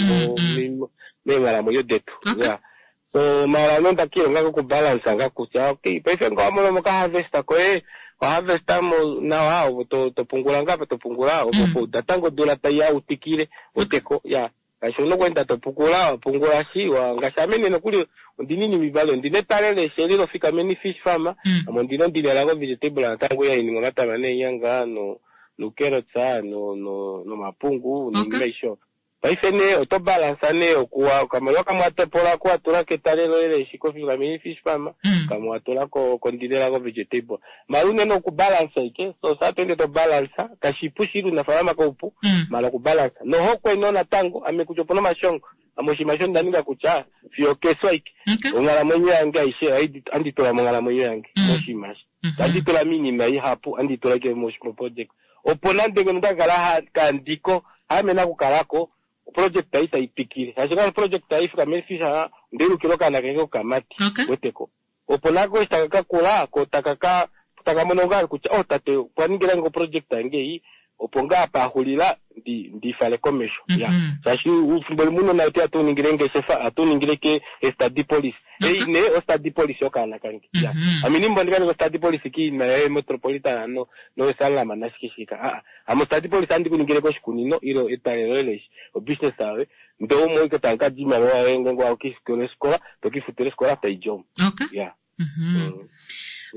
meenghalamwenyo detu ya so maala no ndakilonga kokubalansa ngaa kutya okay paife nga wamono moka harvesta koye oharvesta mo nawa ovo topungula ngaa topungula opo natango odula taiya utikile oteko ya ngaashi una okweenda topungula wapungula shi ngaashi ame nee nokuli ondina iinima ivali ondina etale leeshi eli lofikameni fish farm ame ondina ondinela vegetable natango yaininga omatama neenyanga nucarrots nomapungu noinima aishe paife nee oto balansa nee okuwa okamaliwa kamwe watopola kuwatula ketale loye leeshi kofikameni fish farm kamwe watula kondinela ko vegetable maala unene okubalansa ike so saa toende tobalansa kashipu shili unafalama koupu maala okubalansa nohokwe no natango ame kutya opuna omashongo ame oshinima sho ndaninga kutya fiyo keswa ike onghalamwenyo yange aishe anditula monghalamwenyo yange moshinima shi anditula miinima ihapu anditula ike moproject opo nande ngeno ndakakala kandiko ame nakukalako project ai taipikile shaashi nga project ai fika mefisha ndeilukila okaana kange kokamati weteko opo nako eshi taka kakula ko taka taka mono ngaa kutya oh tate okwa ningila ngo project yange ei opo ngaa paxulila ndifale komesho ya shaashi fimbo limwe unona wetu atuningile ngeshefa atuningile ke study policy ei ne o study policy okaana kange ya ame nimbo ndikaninga study policy kiinima yaye metropolitan no no salama nashikishika aa ame study policy andikuningile koshikunino ilo etale loye leshi obusiness yawe ndee umwe ike tankadi iimaliwa yoye ngenge wakifutile osikola tokifutile osikola taidjomo ya.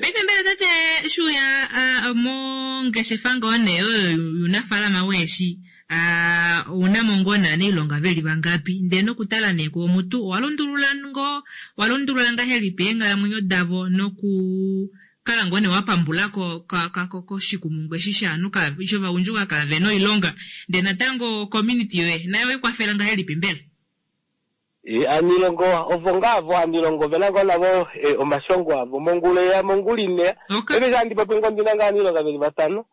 Paife mbela tate shuya mongeshefa ngoo nee oyo yuunafaalama weeshi ounamo ngoo nee aanailonga veli vangapi ndee nokutala nee koomutu owalundulula ngoo walundulula ngahelipi eenghalamwenyo davo noku kala ngoo nee wapambula koshikumungu eshi shaanhu shovagundjuka kaavena oilonga, ndee natango community yoye nayo oikwafela ngahelipi mbela? Aanilongo ovo ngaa vo aanilongo ovena ngoo navo omashongo avo mongula eya mongula ineya. Paife handi popi ngoo ndina ngaa aaniilonga veli vatano.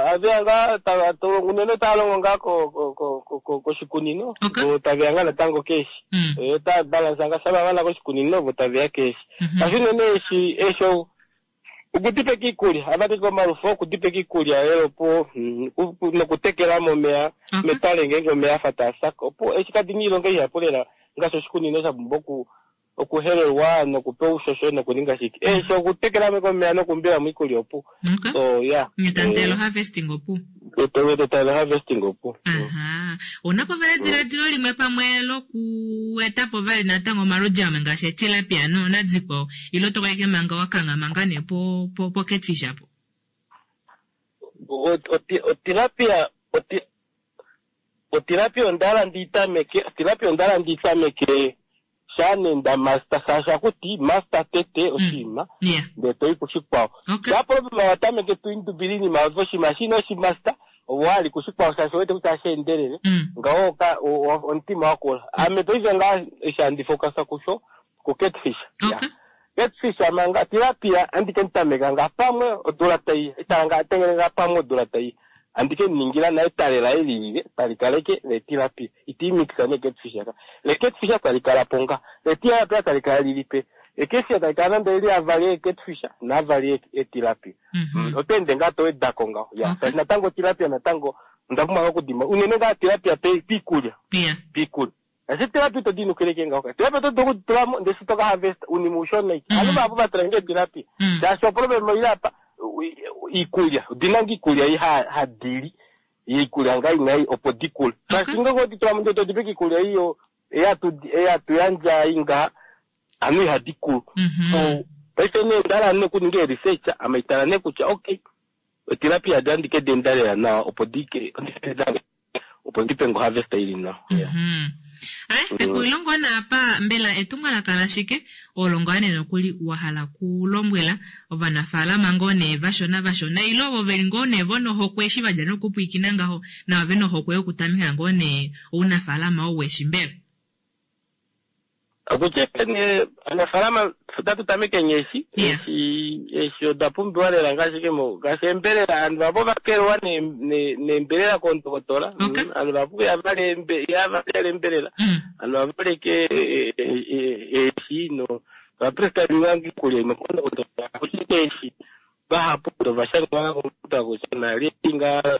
Aveya ngaa unene tava longo ngaa koshikunino vo taveya ngaa natango keeshi. Otava balance ngaa shampa vamana koshikunino vo taveya keeshi. Shaashi unene eeshi eeshi okudipeka iikulya avadike omalufo okudipeka iikulya elo opo nokutekela momeya metale ngeenge omeya afa taasaka opo eshi kadina iilonga ihapu lela ngaashi oshikunino sha pumbwa oku okuhelelwa nokupewa oushosho nokuninga shike. Eeshi okutekela omeya nokuumbilamo iikulya opu. So yeah. Tantelo harvesting opu. Tantelo harvesting opu. Aha. Ouna po vali ediladilo limwe pamwe lokuetapo vali natango omaludi amwe ngaashi etilapia nadikwao ile oto kaleke manga wakanghama ngaa nee po po po catfish apo? Otilapia otilapia onda ndi tameke otilapia onda ndi tameke sha nenda master shaashi akuti master tete oshinima ndee toyi kushikwao. Sha problema watameke tuindubile iinima oshinima shina oshimaster ovo wali kushikwao shaashi owete kutya asheendelele ngawo omutima wakula. Ame paife ngaa eshi handi focus kusho ku catfish. Catfish manga tilapia andike nitameka nga pamwe odula tai itala nga tengele nga pamwe odula tai andike ningila naye etale laye lilile tali kaleke le tilapia iti mixa ne catfish aka le catfish tali kala po nga le tilapia tali kala lilipe le catfish tali kala nande eli avali e catfish naavali e tilapia. Oto ende ngaa to wedako ngaho ya shaashi natango tilapia natango onda pumbwa okudima unene ngaa tilapia piikulya piikulya. Ashike tilapia ito dinukileke ngaho tilapia oto dulu okuditulamo ndele shi toka harvest unima ushona ike ovanhu vahapu vatula nge tilapia shaashi oproblem oili apa iikulya odina nga iikulya ei hadili iikulya ngaa inai opo dikule shaashi ngenge oditulamo ndee todipeke iikulya iyo eyatu yandja inga anu ihadi kulu. So paife nee ondala nee okuninga e-research ame itala nee kutya okay otilapia andike diendalela nawa opo dike opo ndipe ngo harvest ili nawa. Ai, pexulilo naapa mbela etumwalaka lashike olo ngaa nee nokuli wa hala kulombwela ovanafaalama ngoo nee vashona vashona ile ovo veli ngoo nee vonohokwe eshi vadja nokupwiikina ngaho nava vena ohokwe yokutameka ngoo nee ounafaalama ou weshi mbela? Okutya ne anafaalama otatu tameke nyeeshi eeshi eeshi oda pumbiwa lela ngaashi ngaashi embelela aantu vapo vakelwa neembelela koondokotola aantu vapo yavala embelela aantu vavaleke eeshi no vaprescribe iikulya imwe koondokotola akushike eeshi vahapu ovashangwa kutya nali nga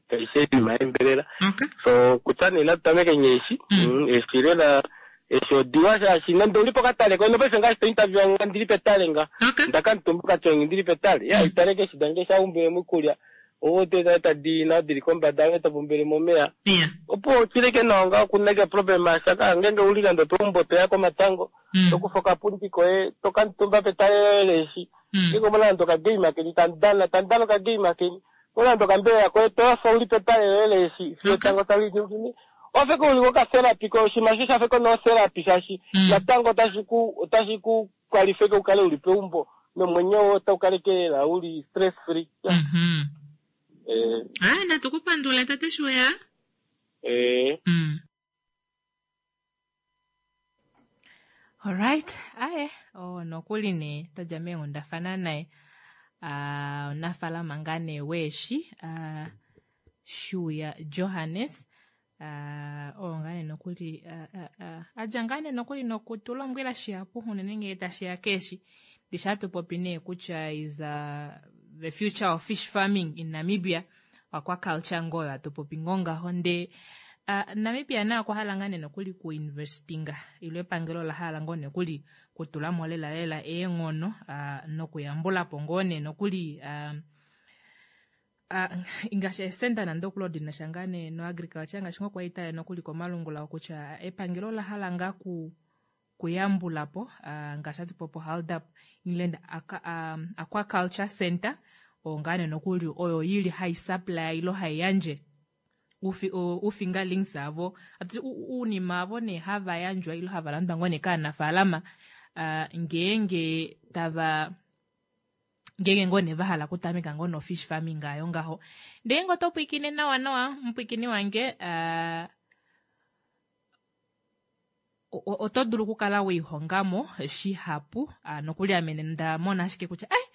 kaishe iinima yembelela. So kutya nee natu tameke nyeeshi eeshi lela eeshi odiwa shaashi nande uli pokatale kono paife ngaashi to interview nga ndili petale nga ndakamutumba okatyongi ndili petale ya italeke eshi dange shaumbile iikulya ovo te tadi nao dili kombada ove topumbile momeya opo chileke nawa nga kunake problem ashaka ngenge uli nande peumbo toya komatango tokufa okapundi koye tokamutumba petale loye leeshi ngenge omuna nande okagame keni tamudana tamudana okagame keni omuna nande okambelela koye toyafa uli petale loye leeshi fiyo etango tali ningine wafeka uli kokatherapy ko oshinima sho shafeka notherapy shaashi natango otashi ku otashi ku kwalifeke ukale uli peumbo nomwenyo otau kaleke lela uli stress free. Ai, natu kupandula tate Shuya. Eh. Alright, aye, oh nokuli ne todja meenghundafana naye. Ah, omunafaalama ngaa nee weeshi, ah Shuya Johannes. Ah, oo ngaa nee nokuli adja ngaa nee nokuli nokutulombwela shihapu unene ngee tashiya keeshi. Ndishi hatu popi nee kutya is uh, the future of fish farming in Namibia aquaculture ngoyo hatu popi ngoo ngaho ndee uh, Namibia naye okwa hala ngaa nee nokuli kuinvestinga ilo epangelo ola hala ngoo nokuli kutulamo lela lela eenghono uh, nokuyambulapo ngoo nee nokuli uh, uh, ngaashi esenda nande okuli odinasha ngaa nee no agriculture ngaashi ngoo kwali nokuli komalungula kutya epangelo ola hala ngaa ku kuyambulapo uh, ngaashi hatu popo Haldap Inland Aqua, um, Aquaculture Center oo ngaa nee nokuli oyo yili hai supply ilo hai yandje ufi, ufingerlings avo ati uunima avo nee hava yandjwa ilo hava landwa ngoo nee kaanafaalama uh, ngeenge tava ngeenge ngoo nee vahala okutameka ngoo no-fish farming ayo ngaho. Ndee ngoo oto pwiikine nawa nawa mupwiikini wange uh, oto dulu okukala weihongamo shihapu uh, nokuli ame nda mona ashike kutya ai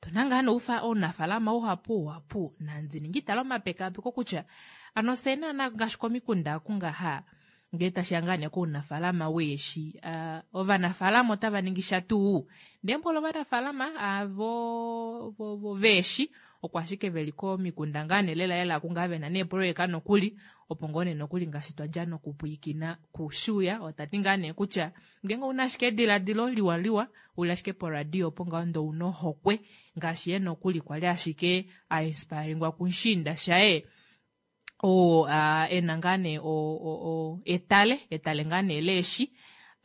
tuna ngaa noufa ounafalama uhapu uhapu nandi ningi tala omapekapeko kutya ano fye naana ngaashi komikunda kungaha ngee tashiya ngaa nee kounafalama weeshi uh, ovanafalama otava ningi sha tuu ndee mboli ovanafalama avo vo, vo, veeshi oko ashike veli komikunda ngaa nee lela lela kungaa vena neeproyeka nokuli opo ngoo nee nokuli ngaashi twadja nokupwiikina kushuya otati ngaa nee kutya ngeenge ouna ashike ediladilo liwa liwa uli ashike poradio opo ngaho ndee ouna ohokwe ngaashi ye nokuli kwali ashike ainspiringwa kumushiinda shaye oo uh, ena ngaa nee etale etale ngaa nee leeshi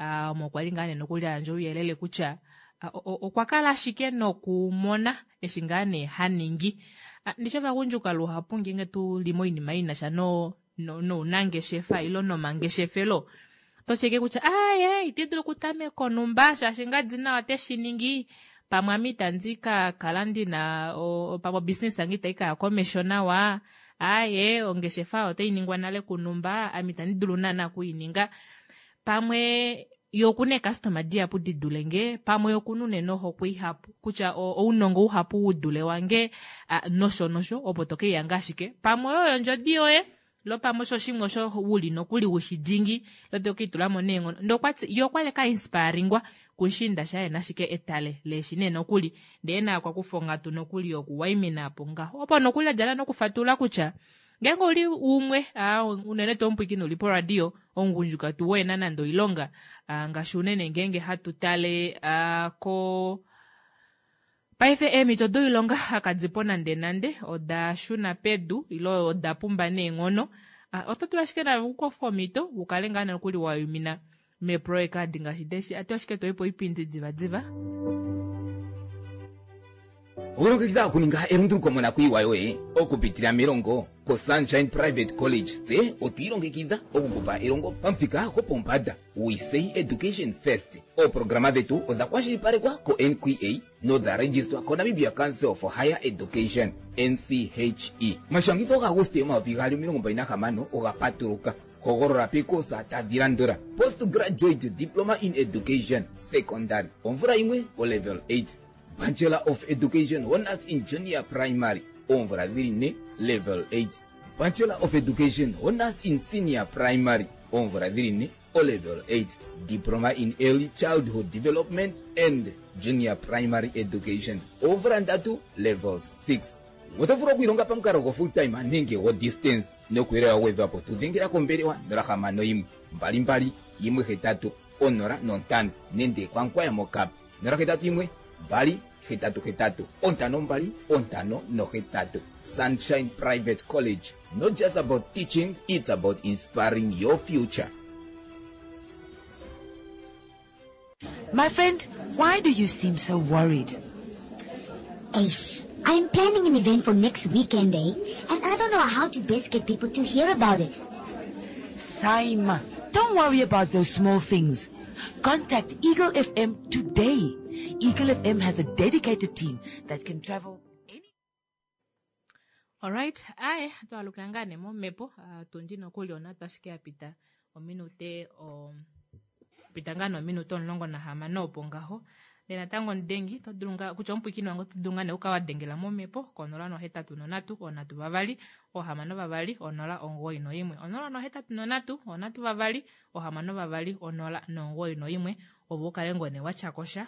uh, omo kwali ngaa nee nokuli ayandja ouyelele kutya uh, okwa kala ashike nokumona eshi ngaa nee haningi uh, ndishi ovagundjuka luhapu ngeenge tuli moinima inasha no nounangeshefa ilo nomangeshefelo tosheke kutya aye iti dulu okutameka onumba shaashi ngadi nawa teshi ningi pamwe ame itandi ka kala ndina pamwe obusiness yange itai kaya komesho nawa aye ongeshefa otai ningwa nale kunumba ame itandi dulu naana okuininga pamwe yo okuna eekastoma dihapu di dule nge pamwe okuna unene ohokwe ihapu kutya ounongo uhapu udule wange nosho nosho opo tokeiyanga ashike pamwe oyo ondjodi yoye lo pamwe osho shimwe osho uli nokuli ushi dingi lo tokeitulamo neenghono ndee okwati ye okwali kainspiringwa kushiinda shaye nashike etale leeshi nee nokuli ndee naye okwa kufa onghatu nokuli yokuwaimina apo ngaho opo nokuli adjala nokufatulula kutya ngeenge ouli umwe unene tuu omupwiikini uli poradio omugundjuka tuu wena nande oilonga ngaashi unene ngeenge hatu tale ko paife eemhito doilonga kadipo nande nande oda shuna pedu ilo oda pumba neenghono oto dulu ashike nawe okukofa omhito ukale ngaa nokuli wayumina meeproyeka adi ngaashi deshi atu ashike toyi po oipindi diva diva. Okulongekidha okuninga elunduluko monakuyiwa yoye okupitila melongo koSunshine Private College tse otwiilongekidha okukupa elongo pamuthika gopombanda. We say education first. Ooprograma dhetu odha kwashilipalekwa ko-N Q A nodha registwa koNamibia Council for Higher Education N C H E. Omashangitho gaAguste omayovi gaali omilongo mbali nahamano oga patuluka. Hogolola pekosa tadhi landula: Postgraduate Diploma in Education Secondary omvula yimwe o level eight, Bachelor of Education Honors in Junior Primary oomvula dhili ne level eight, Bachelor of Education Honors in Senior Primary oomvula dhili ne o level eight, Diploma in Early Childhood Development and Junior Primary Education oomvula ndatu level six. Oto vulu okwiilonga pamukalo go full time nenge go distance nokuyelelwa gwedhwapo tudhengela kombelewa nola hamano yimwe mbali mbali yimwe hetatu onola nontano nenge kwankwaya mokap nola hetatu yimwe mbali hetatu hetatu ontano mbali ontano nohetatu. Sunshine Private College, not just about teaching, it's about inspiring your future. My friend, why do you seem so worried? Ace, I'm planning an event for next weekend, eh? And I don't know how to best get people to hear about it. Saima, don't worry about those small things. Contact Eagle F M today. Eagle F M has a dedicated team that can travel any... All right, aye, twalukila nee momhepo, uh, tundi nokuli ona twashike yapita ominute o pita ngaa nominute omulongo nahamano opo ngaho. Ndee natango mudengi to dulu ngaa kutya omupwiikini wange oto dulu ngaa nee uka wa dengela momhepo konola nohetatu nonhatu onhatu vavali ohamano vavali onola omugoyi noimwe onola nohetatu nonhatu onhatu vavali ohamano vavali onola nomugoyi noimwe opo ukale ngoo nee watyakosha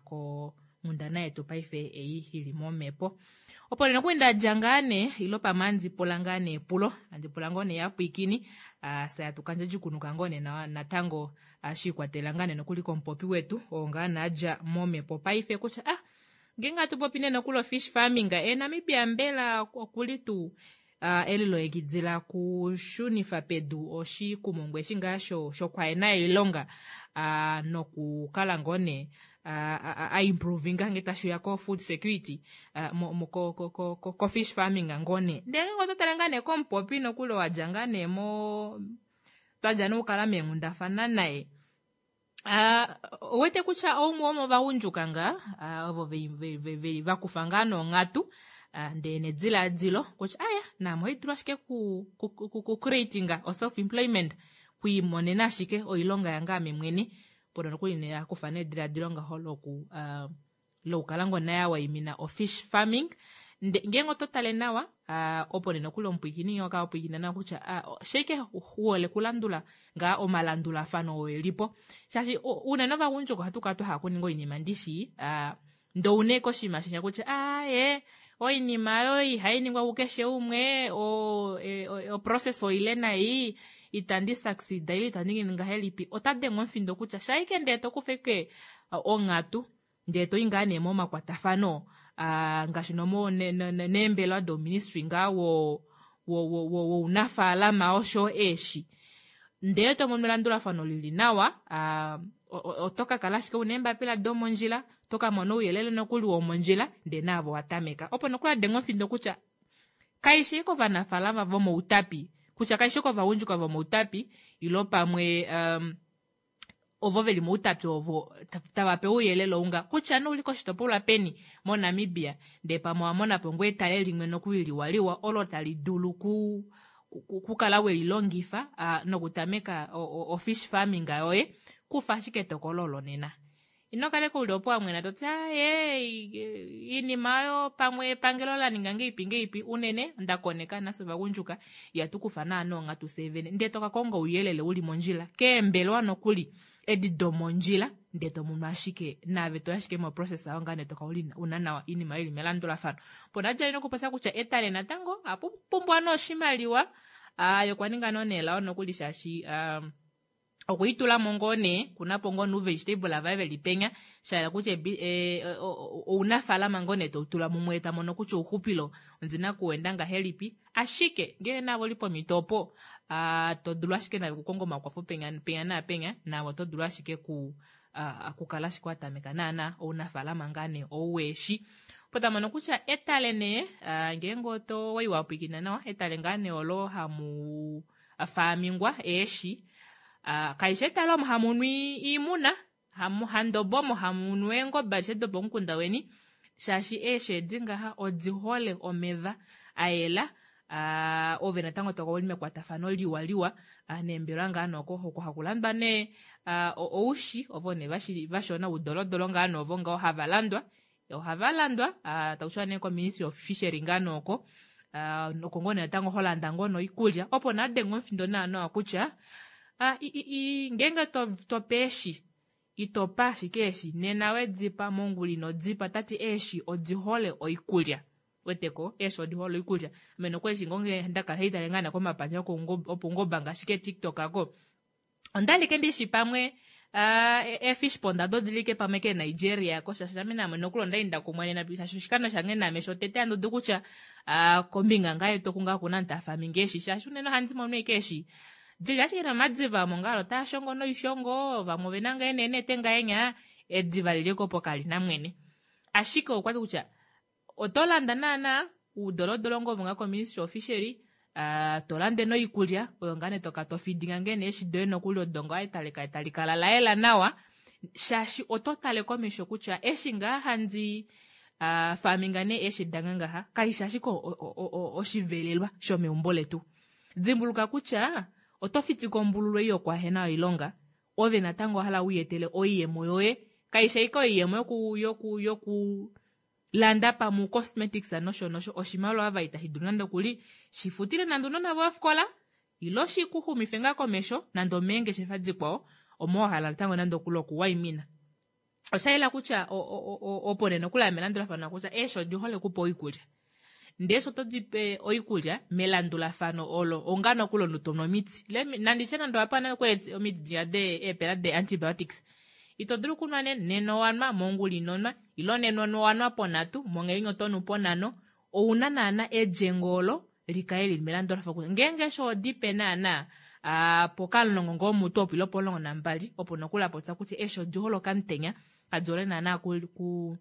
ko nghundana yetu paife ei ili momhepo. Opo nee nokuli ndadja ngaa nee ilo pamwe handi pula ngaa nee epulo handi pula ngoo nee yapwiikini saya tukandje djikunuka ngoo nee natango shiikwatelela ngaa nee nokuli komupopi wetu oo ngaa naadja momhepo paife kutya ah ngeenge hatu popi nee nokuli ofish farming e Namibia mbela okuli tuu elilongekidila kushunifa pedu oshikumungu eshi ngaa shokwaena oilonga nokukala ngoo nee a improvinga nge tashiya ko food security ko ko ko ko fish farming ngoo nee. Ndele oto tale ngaa nee komupopi nokuli wadja ngaa nee mo twadja nokukala meenghundafana naye Uh, owete kutya oumwe womovagundjuka ngaa uh, ovo veli vakufa ngaa nonghatu uh, ndee nediladilo kutya aya naame ohaidulu ashike ku, ku, ku, ku creatinga o self employment kwiimonena ashike oilonga yange ame mwene pono nokuli ne akufa nediladilo ngaho loku uh, lokukala ngoo naye awaimina ofish farming. Ngeenge oto tale nawa uh, opo nee nokuli omupwiikini oka pwiikina nawa kutya uh, sheike huole kulandula ngaa omalandulafano oo elipo shaashi unene ovagundjuka ohatu kala twahala kuninga oinima ndishi uh, ndoune koshinima shenya kutya aye oinima oyo ihainingwa kukeshe umwe o, e, o, o process oile nai itandi succeed ile itandi ningi ngahelipi. Ota denge omufindo kutya shaike ndee tokufa ike onghatu ndee toyi ngaa nee momakwatafano uh, ngaashi nomo neembelewa doministry ngaa wo wounafaalama osho eeshi ndee tomono elandulafano lili nawa uh, oto ka kala ashike una eembapila domondjila to ka mona ouyelele nokuli womondjila ndee naavo watameka opo nokuli adenga omufindo kutya kaishi kovanafaalama vomoutapi kutya kaishi kovagundjuka vomoutapi ilo pamwe um, ovo veli moutapi ovo tava pe ouyelele ounga kutya nouli koshitopolwa peni moNamibia ndee pamwe owamonapo ngoo etale limwe nokuli liwaliwa olo tali dulu ku kukala welilongifa uh, nokutameka ofish farming yoye kufa ashike etokolo olo nena. Ino kale uli opo wamwena toti aye iinima oyo pamwe epangelo la ninga ngeipi ngeipi unene ndakoneka nafye ovagundjuka ihatu kufa naana onghatu fyee vene ndee toka konga ouyelele uli mondjila keembelewa nokuli edi domondjila ndee tomono ashike naave toyi ashike moprocess ayo ngaa nee toka una nawa iinima ili melandulafano. Opo nadjali nokupopya kutya etale natango ohapu pumbwa nee oshimaliwa uh, yokwaninga noo neelao nokuli shaashi um, okwiitulamo ngoo nee kunapo ngoo nuuvegetable vaye veli penya shahala kutya ounafaalama ngoo nee toutula mumwe tamono kutya ouxupilo ondina kuwenda ngahelipi ashike ngee navo oli pomhito opo uh, todulu ashike nave kukonga omakwafo penya penya naapenya naavo otodulu ashike ku uh, kukala ashike watameka naana ounafaalama ngaa nee ouweeshi opo tamono kutya etale nee uh, ngeenge oto wai wapwiikina nawa etale ngaa nee olo hamu faamingwa eeshi Uh, kaishi etale omo hamunu iimuna handobo omo hamunu eengobe adishe dopomukunda weni shaashi eeshi edi ngaha odi hole omeva ayela uh, ove natango toka uli mekwatafano liwa liwa uh, neembelwa ngaa noko oko hakulandwa nee uh, oushi ovo nee vashona udolodolo ngaa novo ngaho hava landwa ohava landwa uh, takushiwa nee ko-ministry of fishery ngaa noko uh, oko ngoo nee natango holanda ngoo noikulya opo nadenga omufindo naanawa kutya Ah, ngeenge tope eeshi itopa ashike eeshi nena wedipa mongula ino dipa tati eeshi odi hole oikulya weteko eeshi odi hole oikulya ame nokuli eshi ngoo ndakala haitale ngaa komapandja opoungoba ngaashi keTikTok ako ondalike ndishi pamwe uh, efish pond ado odilike pamwe keNigeria ko shaashi name naame nokuli ondali ndakumwa nena shaashi oshikando shange naame shotete andudu kutya uh, kombinga ngaa yetu oku ngaa kuna ntafaminga eeshi shaashi unene ohandi mono ashike eeshi dili ashike nomadiva omo ngaalo taa shongo noishongo vamwe ovena ngaa eenete ngahenya ediva liliko opo kalina mwene ashike okwati kutya oto landa naana uudolodolo ngoo ovo ngaa ko-ministry of fishery uh, tolande noikulya oyo ngaa nee toka tofidinga ngee neeshi doye nokuli odo ngaa etale tali kala layela nawa shaashi oto tale komesho kutya eshi ngaa handi uh, faminga nee eeshi dange ngaha kaishi ashike oshivelelwa shomeumbo letu. Dimbuluka kutya oto fitika ombululu ei yokwahena oilonga ove natango ohala wiiyetele oiyemo yoye kaishi ashike oiyemo yoku yoku yoku landa pamwe cosmetics nosho nosho oshimaliwa ava itashi dulu nande okuli shifutile nande ounona voye ofikola ilo shikuxumife ngaa komesho nande omeengeshefa dikwao omo wahala natango nande okuli okuwaimina. Oshayela kutya opo nee nokuli melandulafano kutya eeshi odi hole okupa oikulya ndee eshi oto dipe oikulya melandulafano olo onga nokuli omunhu tonu omiti nanditye nande owapa nale omiti diya eepela de antibiotics ito dulu okunwa nena owanwa mongula inonwa ilo nena owanwa ponhatu monghelinya otonu ponhano ouna naana edjengo olo likale lili melandulafano kutya ngeenge eshi odipe naana uh, pokamulongo ngoo mutu opo ilo pomulongo nambali opo nokuli apopya kutya eeshi odi hole okamutenya kadi hole naana ku, ku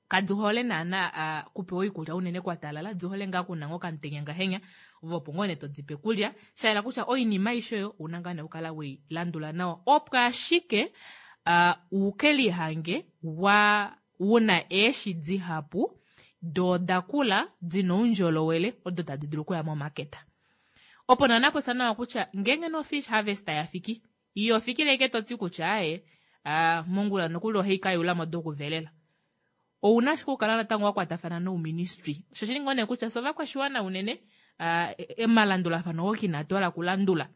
Kadi hole naana kupewa oikulya unene kwa talala, di hole ngaa kuna ngoo okamutenya ngahenya, ove opo ngoo nee todi pe kulya. Shayela kutya oinima aishe oyo ouna ngaa nee okukala wei landula nawa opo ashike uh, uke lihange wa una eeshi dihapu doo odakula dina oundjolowele odo tadi dulu okuya momaketa. Opo naana popya nawa kutya ngeenge no fish harvest yafiki iyo fikile ashike toti kutya aaye uh, mongula nokuli ohai kayulamo dokuvelela. Ouna ashike okukala natango wakwatafana nouministry. Osho shili ngoo nee kutya fye ovakwashiwana unene uh, emalandulafano oo inatu hala kulandula.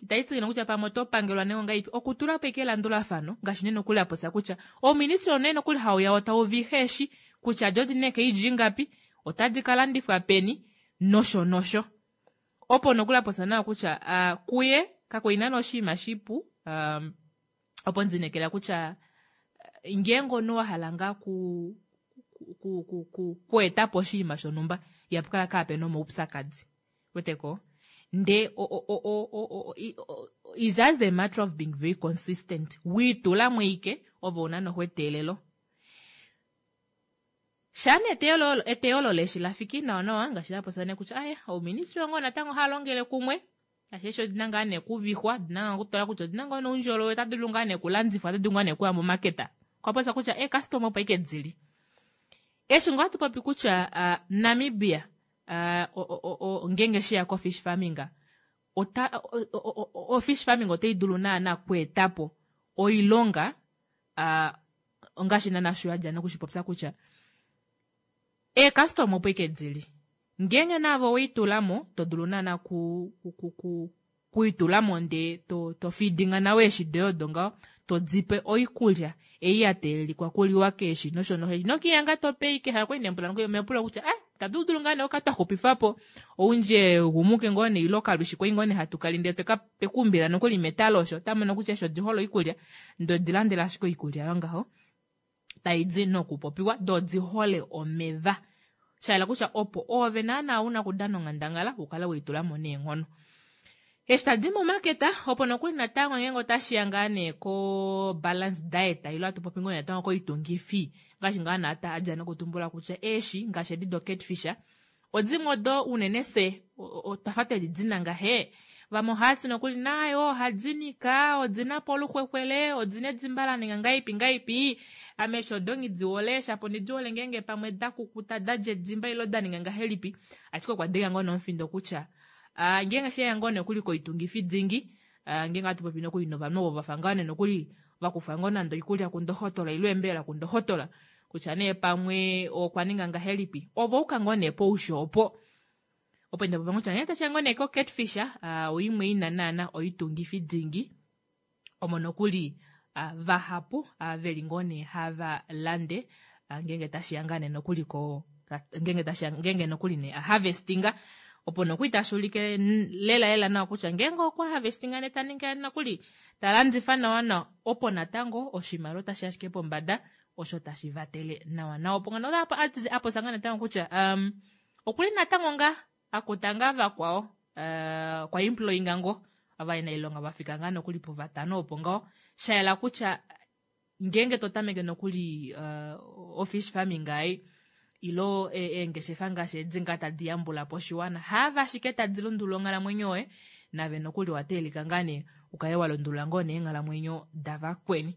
Itayi tsikile kutya pamwe oto pangelwa nenge ongahelipi, okutula po ashike elandulafano ngaashi nee nokuli apopya kutya ouministry nee nokuli hauya tau vihe eeshi kutya do odina eekeidji ngapi, otadi kalandifwa peni nosho nosho. Opo nokuli apopya nawa kutya uh, kuye kakuli naana oshinima shipu um, opo ndinekela kutya ngeenge omunhu wahala ngaa ku ku ku ku kuetapo oshinima shonhumba ihapu kala kaapena omaupyakadi. Weteko? Nde o o o o o o it's just a matter of being very consistent. Wiitulamo ike ove una noho eteelelo. Shaana eteyo eteyo leeshi lafiki nawa nawa ngaashi lapopya nee kutya aye ouministry ngoo natango hava longele kumwe ngaashi eshi odina ngaa nee kuvixwa, odina ngaa okutala kutya odina ngoo noundjolowele, otadi dulu ngaa nee kulandifwa, otadi dulu ngaa nee kuya momaketa. Okwa popya kutya eecustomer opo ashike dili. Eshi ngoo hatu popi kutya uh, Namibia uh, ngeenge sheya ko fish farming ota o, o, fish farming otai dulu naana okweetapo oilonga uh, ngaashi naana sho yadja nokushipopya kutya eecustomer opo ashike dili. Ngeenge naave oweitulamo to dulu naana ku, ku, ku, ku kuitulamo ndee to, to feedinga nawa eeshi doye odo ngaho, to dipe oikulya ei ya teelelikwa kuliwa keeshi nosho nosho. Ino tope ike hakwali nempula mepula kutya ah tatu dulu ngaa nee oka twa xupifapo oundje gumuke ngoo nee ile okalwishi kwai ngoo nee hatu kali ndee tweka twekuumbila nokuli metalo osho otamono kutya eshi odi hole oikulya ndee odi landela ashike oikulya yongaho taidi nokupopiwa doo odi hole omeva. Shayela kutya opo oove naana una okudana onghandangala ukale weitulamo neenghono. Eshi tadi momaketa opo nokuli natango ngeenge otashiya ngaa nee ko balance diet ile hatu popi ngoo natango koitungifi ngaashi ngaa naata adja nokutumbula kutya eeshi ngaashi edi do catfish odimwe odo unene se otwafa twedi dina ngahe. Vamwe ohati nokuli nayo ohadi nika, odina po oluxwexwele, odina edimba la ninga ngaipi ngaipi. Ame eshi odo nghi hole shapo ndidi hole ngeenge pamwe da kukuta dadja edimba ile da ninga ngahelipi. Ashike okwa denga ngoo nomufindo kutya uh, ngeenge sheya ngoo nokuli koitungifi dingi uh, ngeenge hatu popi nokuli novanhu ovo vafa ngaa nee nokuli vakufa ngoo nande oikulya kundohotola ile embelela kundohotola kutya nee pamwe okwa ninga ngahelipi ovo uka ngoo nee pousho opo. Opo nda popya kutya ngee tashiya ngoo nee ko catfish uh, oimwe ina naana oitungifi dingi omo nokuli uh, vahapu uh, veli ngoo nee hava lande uh, ngeenge tashiya ngaa nee nokuli ko ngeenge tashiya ngeenge nokuli nee harvestinga opo nokuli tashi ulike lela lela nawa kutya ngeenge okwa harvestinga nee ta ningi nokuli ta landifa nawa nawa opo natango oshimaliwa otashi ashike pombada osho tashi vatele nawa nawa. Opo ngano apopya ngaa natango kutya um, okuli natango ngaa akuta ngaa vakwao uh, kwa employinga ngoo ovanailonga vafika ngaa nokuli puvatano opo ngaho shayela kutya ngeenge to tameke nokuli uh, ofish farming ai ilo eengeshefa ngaashi edi ngaa tadi yambula po oshiwana haava ashike tadi lundulula onghalamwenyo yoye nave nokuli wateelika ngaa nee ukale wa lundulula ngoo nee eenghalamwenyo davakweni.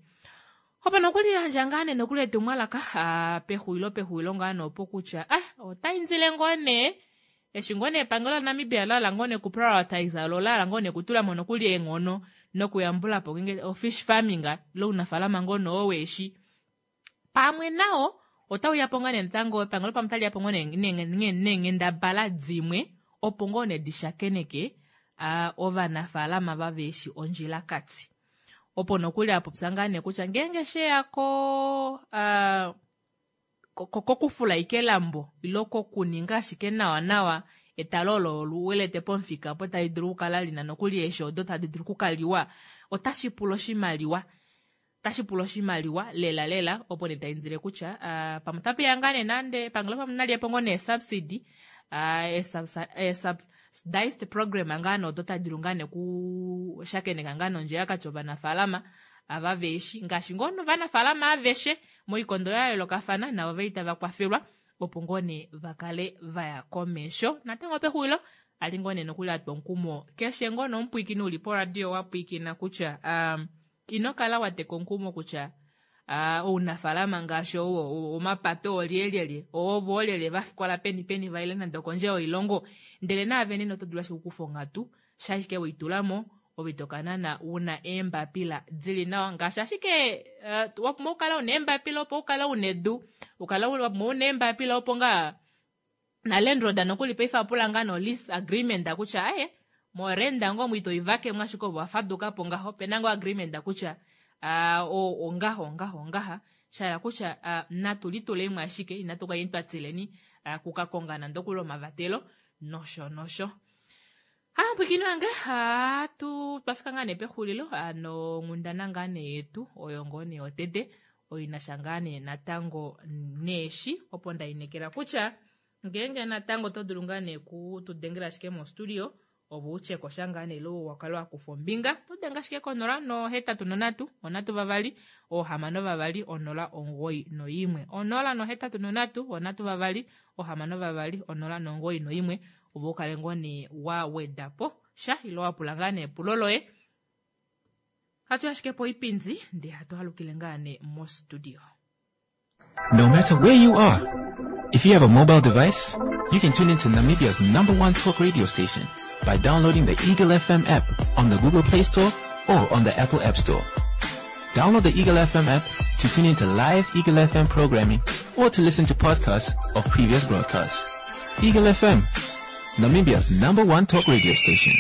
Opo nokuli yandja ngaa nee nokuli etumwalaka pexulilo pexulilo ngaa nee opo kutya ah otaindile ngoo nee eshi ngoo nee epangelo laNamibia lahala ngoo nee kuprioritize lo lahala ngoo nee kutulamo nokuli eenghono nokuyambula po ngenge ofish farming ile ounafaalama ngoo nee oo weeshi pamwe nao otauya po ngaa nee natango epangelo pamwe otali yapo ngoo neenghendabala dimwe opo ngoo nee dishakeneke uh, ovanafaalama vaveeshi ondjilakati. Opo nokuli apopya ngaa nee kutya ngeenge sheya ko uh, kokufula ike elambo ilo kokuninga ashike nawa nawa etalo olo luwelete pomufika opo tali dulu okukala lina nokuli eeshi odo tadi dulu okukaliwa otashi pula oshimaliwa otashi pula oshimaliwa lela lela opo nee taindile kutya uh, pamwe otapeya ngaa nee nande epangelo pamwe naliyepo ngoo nee subsidy uh, subsidized program ngaa nee odo tadi dulu ngaa nee kushakeneka ngaa nee ondjilakati ovanafaalama ava veeshi ngaashi ngoo novanafaalama aveshe moikondo ya yoolokafana navo veli tava kwafelwa opo ngoo nee vakale vaya komesho. Natango pexulilo ali ngoo nee nokuli atwa omukumo keshe ngoo nomupwiikini uli poradio wapwiikina kutya um, ino kala wateka omukumo kutya uh, ounafaalama ngaashi ou omapato oolyelyelye ovo oolyelye vafikola peni peni vaile nande okondje yoilongo, ndele naave nena oto dulu ashike okukufa onghatu shashike weitulamo ove tokanana una eembapila dili nawa ngaashi ashike uh, wapumbwa okukala una eembapila opo ukale una edu, ukale wapumbwa una eembapila opo ngaa na landlord nokuli paife apula ngaa no lease agreement kutya aye morenda ngoo mwito ivakemwe ashike ovo wafadukapo ngaho opena ngoo agreement kutya uh, ongaha ongaha ongaha shahala kutya uh, natu litulemo ashike inatu kaleni twa tileni uh, kukakonga nande okuli omavatelo nosho nosho. Hampwikini wange hatu twafika ngaa nee pexulilo ano onghundana ngaa nee yetu oyo ngoo nee yotete oinasha ngaa nee natango neeshi opo ndainekela kutya ngeenge natango oto dulu ngaa nee kutudengela ashike mostudio ovo utyeko sha ngaa nee ile wakale wakufa ombinga to denga ashike konola nohetatu nonhatu onhatu vavali ohamano vavali onola omugoyi noimwe onola nohetatu nonhatu onhatu vavali ohamano vavali onola nomugoyi noimwe ovo ukale ngoo nee wa wedapo sha ile wapula ngaa nee epulo loye. Hatu ashike poipindi ndee hatu alukile ngaa nee mostudio. No matter where you are, if you have a mobile device, you can tune into Namibia's number one talk radio station by downloading the Eagle F M app on the Google Play Store or on the Apple App Store. Download the Eagle F M app to tune into live Eagle F M programming or to listen to podcasts of previous broadcasts. Eagle F M, Namibia's number one talk radio station.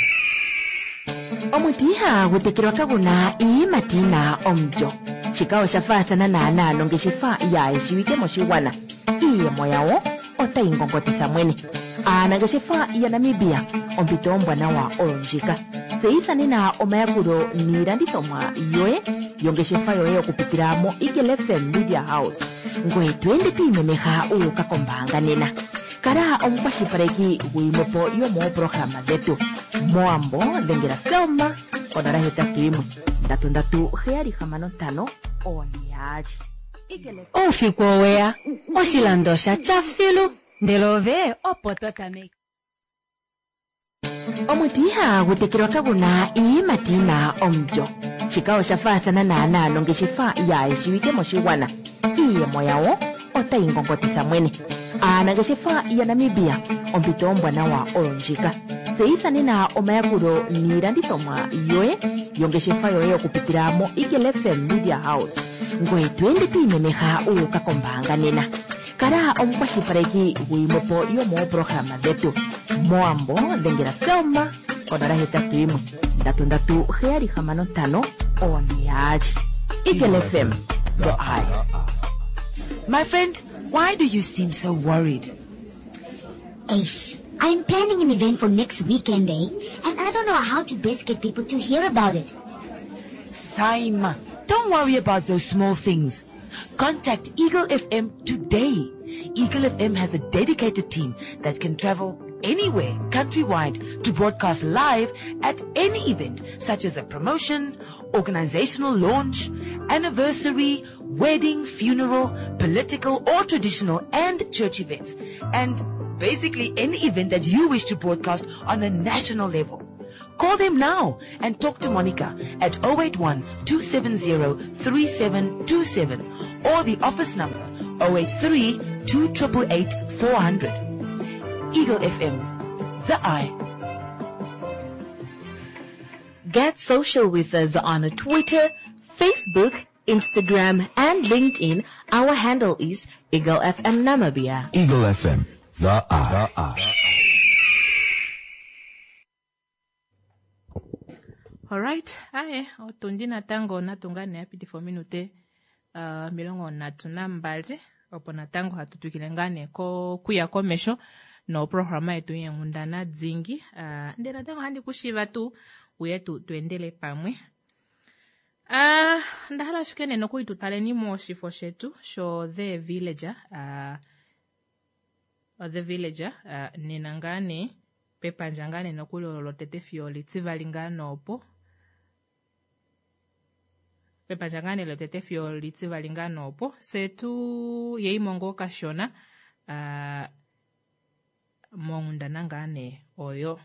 Omuti ihagu tekelwa kaguna iiyimati yina omulyo. Shika osha faathana naanaa nongeshefa yaayeshiwike moshigwana. Iiyemo yawo otayi ngongotitha mwene. Aanangeshefa yaNamibia, ompito ombwanawa oyo ndjika. Tseyitha nena omayakulo niilandithomwa yoye yongeshefa yoye okupitila mo Eagle F M Media House. Ngoye to ende to imemeha u uka kombaanga nena. Kala omukwashilipaleki gwiimwepo yomooprograma dhetu. Moambo dhengela Selma konola hetatu yimwe ndatu ndatu heyali hamano ntano one yaali. Oufiku oweya, oshilando osha tya filu, ndele ove opo to tameke. Omuti ihagu tekelwa kaguna iiyimati yina omulyo. Shika osha faathana naanaa nongeshefa yaayeshiwike moshigwana. Iiyemo yawo otayi ngongotitha mwene. Aanangeshefa yaNamibia, ompito ombwanawa oyo ndjika. Tseyitha nena omayakulo niilandithomwa yoye yongeshefa yoye okupitila mo Eagle F M Media House. Ngoye to ende to imemeha u uka kombaanga nena. Kala omukwashilipaleki gwiimwepo yomooprograma dhetu. Moambo dhengela Selma konola hetatu yimwe ndatu ndatu heyali hamano ntano one yaali. Eagle F M, the eye. My friend, why do you seem so worried? Ace, I'm planning an event for next weekend, eh? And I don't know how to best get people to hear about it. Saima, don't worry about those small things. Contact Eagle F M today. Eagle F M has a dedicated team that can travel anywhere countrywide to broadcast live at any event, such as a promotion, organizational launch, anniversary, wedding, funeral, political or traditional and church events, and basically any event that you wish to broadcast on a national level. Call them now and talk to Monica at oh eight one, two seven zero, three seven two seven or the office number oh eight three, two triple eight, four hundred. Eagle F M, the eye. Get social with us on Twitter, Facebook, Instagram, and LinkedIn. Our handle is Eagle F M Namibia. Eagle F M, the eye. The eye. All right, aye, otundi natango natunga ne yapitifa ominute, uh, omilongo nhatu nambali, opo natango hatu twikile ngaa nee ko-, kuya komesho noprograma yetu yeenghundana dingi. Uh, ndele natango ohandi kushiiva tuu uye tu, tu endele pamwe. Uh, onda hala ashike nee nokuli tu taleni moshifo shetu sho The Villager, uh, The Villager, uh, nena ngaa nee pepandja ngaa nee nokuli olo lotete fiyo litivali ngaa noopo. Pepandja ngaa nee lotete fiyo litivali ngaa nee opo fye tu yeimo ngoo kashona uh, monghundana ngaa nee oyo.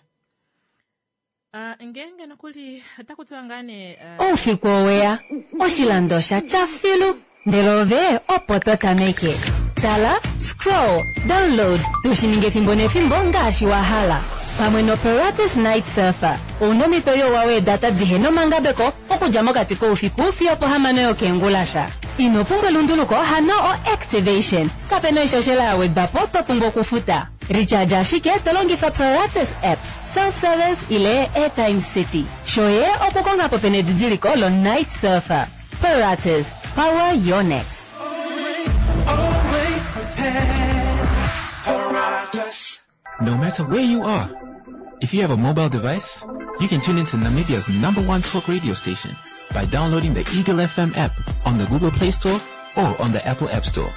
Uh, ngeenge nokuli otaku tiwa ngaa nee uh, Oufiku oweya, oshilando osha tya filu, ndele ove opo to tameke. Tala, scroll, download, tushi ninge efimbo nefimbo ngaashi wa hala. Pamwe noPeratus Night Surfer, ouna omhito youwa weedata dihena omangabeko okudja mokati koufiku fiyo pohamano yokeengulasha. Ino pumbwa elunduluko hano o-activation. Kapena oishoshela ya wedwa po to pumbwa okufuta. Recharge ashike to longifa Paratus app, self-service ile Airtime City. Shoye okukonga po pena edidiliko lo Night Surfer. Paratus, power your next. Always prepared. Paratus. No matter where you are, if you have a mobile device, you can tune into Namibia's number one talk radio station by downloading the Eagle F M app on the Google Play Store or on the Apple App Store.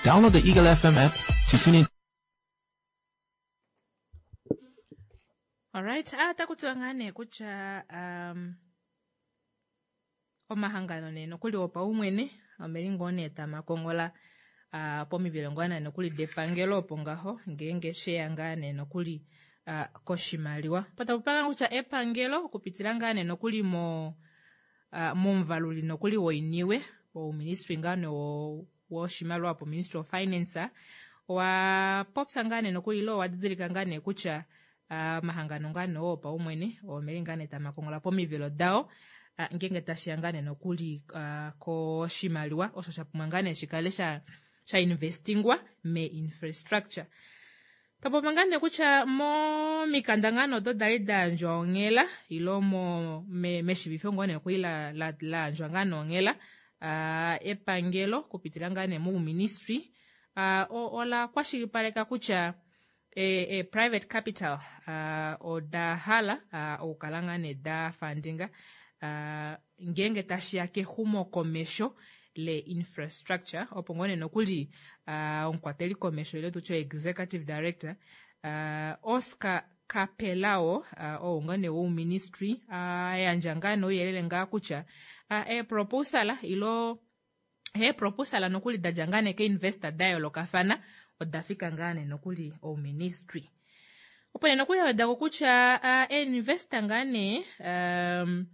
Download the Eagle F M app to tune in. Alright, ah, otaku tiwa ngaa nee kutya, um, omahangano nee nokuli opaumwene omeli ngoo nee tamakongola, ah, pomivelo ngoo nee nokuli depangelo opo ngaho ngeenge sheya ngaa nee nokuli, ah, koshimaliwa. Patapu panga kutya epangelo okupitila ngaa nee nokuli mo, ah, momuvaluli nokuli woiniwe ouministry ngaa nee wo-, woshimaliwa po Ministry of Finance, owa popya ngaa nee nokuli ilo owa didilika ngaa nee kutya, ah, omahangano ngaa nee oo opaumwene omeli ngaa nee tamakongola pomivelo dao, ah, ngeenge tashiya ngaa nee nokuli, ah, koshimaliwa osho sha pumbwa ngaa nee shikale sha, sha investingwa me infrastructure. Tapopa ngaa nee kutya momikanda ngaa nee odo dali da yandjwa onghela, ilo mo-, me-, meshivifo ngoo nee okuli la, la, la yandjwa ngaa nee onghela, ah, epangelo kupitila ngaa nee mouministry, ah, o-, ola kwashilipaleka kutya e, e private capital, ah, oda hala, ah, okukala ngaa nee da fundinga, ah, ngeenge tashiya kexumokomesho le infrastructure, opo ngoo nee nokuli, ah, omukwateli komesho ile tutye executive director, ah, Oscar Capelao, ah, ou ngoo nee wouministry, ah, yandja ngaa nee ouyelele ngaa kutya, ah, e proposal ilo, e proposal nokuli da dja ngaa nee ke investor da yoolokafana, oda fika ngaa nee nokuli ouministry. Opo nee nokuli awedako kutya, ah, e investor ngaa nee, um,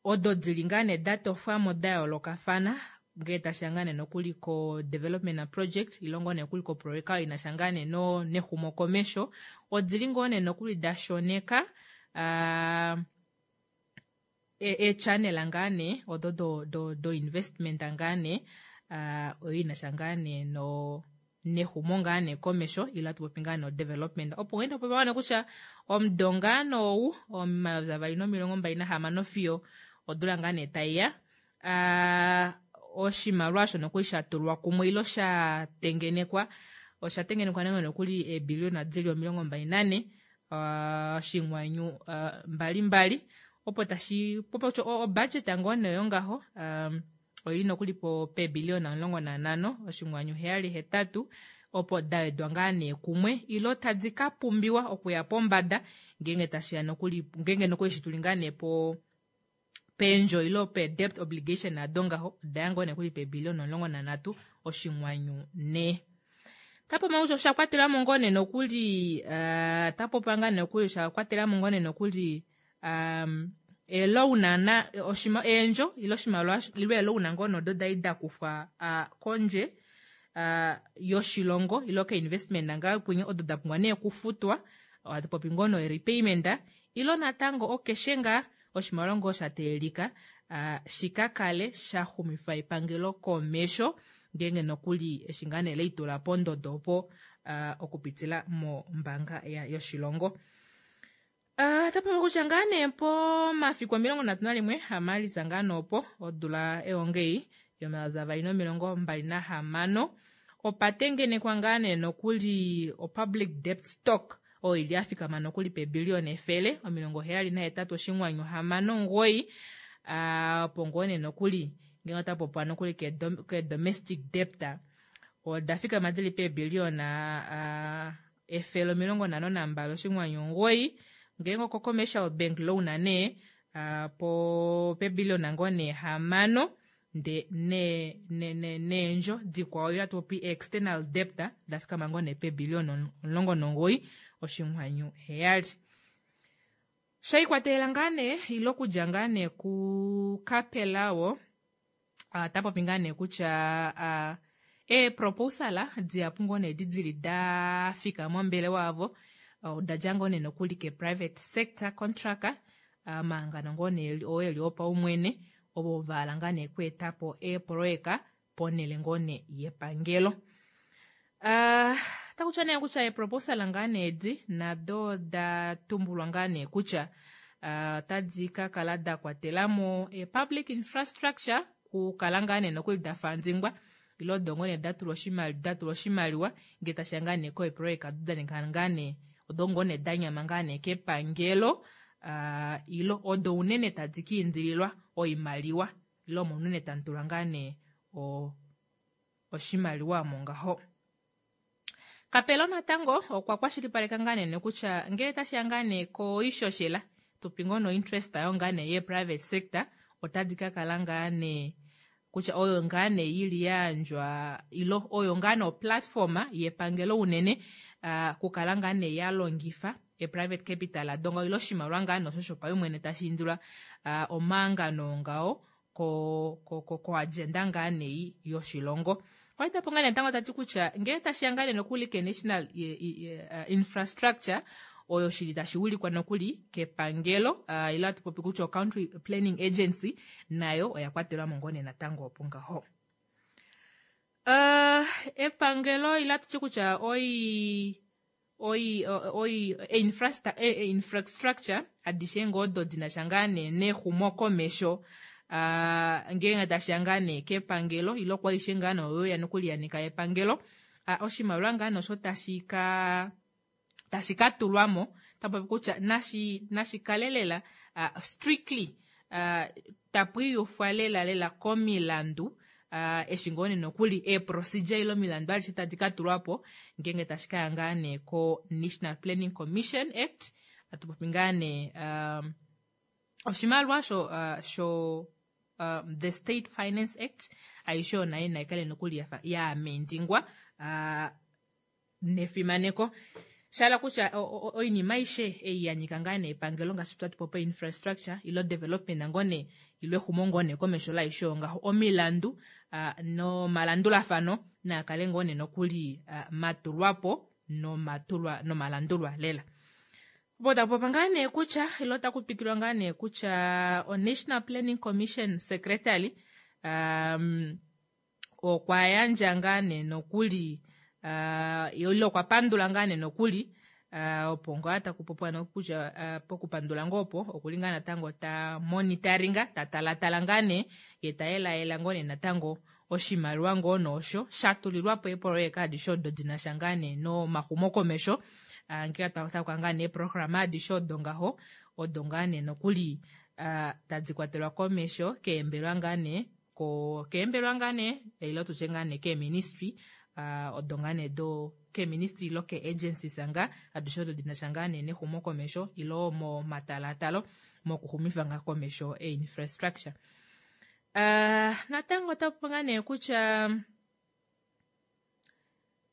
odo dili ngaa nee da tofwamo da yoolokafana, ngee tashiya ngaa nee nokuli ko development project, ilo ngoo nee nokuli ko project oyo inasha ngaa nee no-, nexumokomesho, odili ngoo nee nokuli da shoneka, ah, e-, e channel ngaa nee, odo do, do, do investment ngaa nee, ah, oyo inasha ngaa nee no nexumo ngaa nee komesho, ilo hatu popi ngaa no development. Opo ngee topopi ngaa nee kutya omudo ngaa nou, omayovi avali nomilongo mbali nahamano fiyo odula ngaa nee taiya, ah, oshimaliwa osho nokuli sha tulwa kumwe ilo sha tengenekwa, osha tengenekwa ngaa nokuli eebiliona dili omilongo mbali nane, ah, oshinghwanyu, ah, mbali mbali, opo tashi popi kutya o-, o budget ngoo nee oyo ngaho, um, oili nokuli po peebiliona omulongo nanhano, oshinghwanyu heyali hetatu, opo da wedwa ngaa nee kumwe, ilo tadi ka pumbiwa okuya pombada, ngeenge tashiya nokuli, ngeenge nokuli eshi tuli ngaa nee po peendjo ilo pe debt obligation ado ngaho, oda ya ngoo nee kuli peebiliona omulongo nanhatu, oshinghwanyu ne. Tapopa kutya osha kwatelamo ngoo nee nokuli, eh, tapopa ngaa nee nokuli, osha kwatelamo ngoo nee nokuli, um, eloan na, oshima, eendjo, ilo oshimaliwa, ilo eloan ngoo nee odo dali da kufwa, ah, kondje, ah, yoshilongo, ilo ke investment ngaa kunye, odo da pumbwa nee okufutwa, ohatu popi ngoo nee repayment, ilo natango okeshe ngaa oshimaliwa ngoo sha teelika, ah, shika kale sha xumifa epangelo komesho, ngeenge nokuli eshi ngaa nee leitula pondodo opo, ah, okupitila mombaanga ya-, yoshilongo. Ah, tapopi kutya ngaa nee pomafiku omilongo nhatu nalimwe aMaalisa ngaa nee opo odula eongei yomayovi avali nomilongo mbali nahamano, opa tengenekwa ngaa nee nokuli o public debt stock oyo ili yafikama nokuli peebiliona efele omilongo heyali nahetatu oshinghwanyu hamano omugoyi, ah, opo ngoo nee nokuli ngenge ota popiwa nokuli ke dom-, ke domestic debt oda fikama dili peebiliona, ah, efele omilongo nhano nambali oshinghwanyu omugoyi, ngenge oko commercial bank loan nee, uh, po pebiliyona ngoo nee hamano nde ne ne ne neendjo dikwao yo atupopi external debt dafikama ngoo nee pebiliyona omulongo nomugoyi oshinghwanyu heyali. Shaikwatelela ngaa nee ile okudja ngaa nee kuKapelao uh, tapopi ngaa nee kutya uh, eeproposala dihapu ngoo nee edi dili dafika mombelewa yavo oda dja ngoo nee nokuli ke-private sector contractor omahangano ngoo nee oo eli opaumwene ovo vahala ngaa nee okweetapo eeproyeka ponele ngoo nee yepangelo. Uh, takutya nee kutya eeproposal ngaa nee edi nado oda tumbulwa ngaa nee kutya otadi uh, ka kala da kwatelamo e-public infrastructure kukala ngaa nee nokuli da fandingwa ile odo ngoo nee datulwa oshimaliwa datulwa oshimaliwa ngee tashiya ngaa nee koeproyeka odo daninga ngaa nee odo ngoo nee danyama ngaa nee kepangelo uh, ile odo unene tadi ka indililwa oimaliwa ile omo unene tamutulwa ngaa nee oshimaliwa omo ngaho. Kapelo natango okwa kwashilipaleka ngaa nee kutya ngele tashiya ngaa nee koishoshela tupi ngoo no interest yo ngaa nee ye private sector otadi ka kala ngaa nee kutya oyo ngaa nee yili yayandjwa ilo oyo ngaa nee oplatforma yepangelo unene uh, kukala ngaa nee yalongifa e-private capital adonga ilo oshimaliwa ngaa nee osho shopaumwene tashi indilwa uh, omahangano ngawo ko ko ko, ko agenda ngaa nee yoshilongo. Kwalitapo ngaa nee natango tati kutya ngele tashiya ngaa nee nokuli ke-national uh, infrastructure oyo shili tashi wilikwa nokuli kepangelo uh, ilo atu popi kutya o-country planning agency nayo oya kwatelwa mo ngoo nee natango opo ngaho. Uh, epangelo ilo atuti kutya oi oi oi e, infrastructure adishe ngoo odo dinasha ngaa nee nexumokomesho uh, ngeenge tashiya ngaa nee kepangelo ilo kwaishe ngaa nee oyo ya nokuli yanika epangelo uh, oshimaliwa ngaa nee osho tashi ka tashi ka tulwamo tapopi kutya nashi nashi kale lela uh, strictly uh, tapu iyufwa lela lela komilandu uh, eshi ngoo nee nokuli eeprocedure ile omilandu adishe tadi ka tulwapo ngeenge tashi kaya ngaa nee ko National Planning Commission Act atupopi ngaa nee um, oshimaliwa sho uh, sho um, the State Finance Act aishe oyo nayo naikale nokuli yafa yaamendingwa uh, nefimaneko shala kutya oinima aishe ei yanyika ngaa nee epangelo ngaashi twati popo infrastructure ilo development ngoo nee ilo exumo ngoo nee komesho laishe oyo ngaho omilandu uh, nomalandulafano naakale ngoo nee nokuli uh, matulwapo nomatulwa nomalandulwa lela. Opo takupopa ngaa nee kutya ilo takupikilwa ngaa nee kutya o-National Planning Commission Secretary um, okwa yandja ngaa nee nokuli uh, ile okwa pandula ngaa nee nokuli uh, opo ngaa takupopiwa nokutya uh, pokupandula ngoo opo okuli ngaa natango ta monitoringa ta talatala ngaa nee ye ta yelayela ngoo nee natango oshimaliwa ngoo noosho shatulilwapo eepoloyeka adishe odo dinasha ngaa nee nomaxumokomesho uh, ngee takuka ngaa nee eeprograma adishe odo ngaho odo ngaa nee nokuli uh, tadi kwatelwa komesho keembelwa ngaa nee ko keembelwa ngaa nee ile tutye ngaa nee keeministry uh, odo ngaa nee do keeministry ilo kee-agencies nga adishe odo dinasha ngaa nee nexumokomesho ilo momatalatalo mokuxumifa ngaa komesho e-infrastructure. Uh, natango otapupo ngaa nee kutya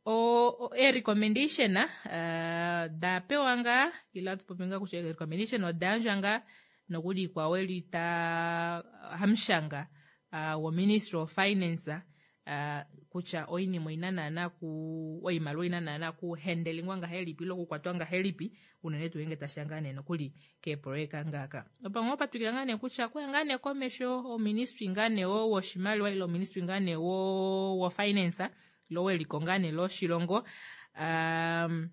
o e-recommendation uh, da pewa ngaa ile atupopi ngaa kutya e-recommendation oda yandjwa ngaa nokuli ikwao eli ta hamushanga uh, wo-ministry of finance uh, kutya oinima oina naana ku oimaliwa oina naana kuhendelingwa ngahelipi ile okukwatwa ngahelipi unene tuu ngenge tashiya ngaa nee nokuli keeproyeka ngaaka. Opo ngoo patwikila ngaa nee kutya kuya ngaa nee komesho oministry ngaa nee wo woshimaliwa ile oministry ngaa nee wo wo finance ilo weliko ngaa nee loshilongo um,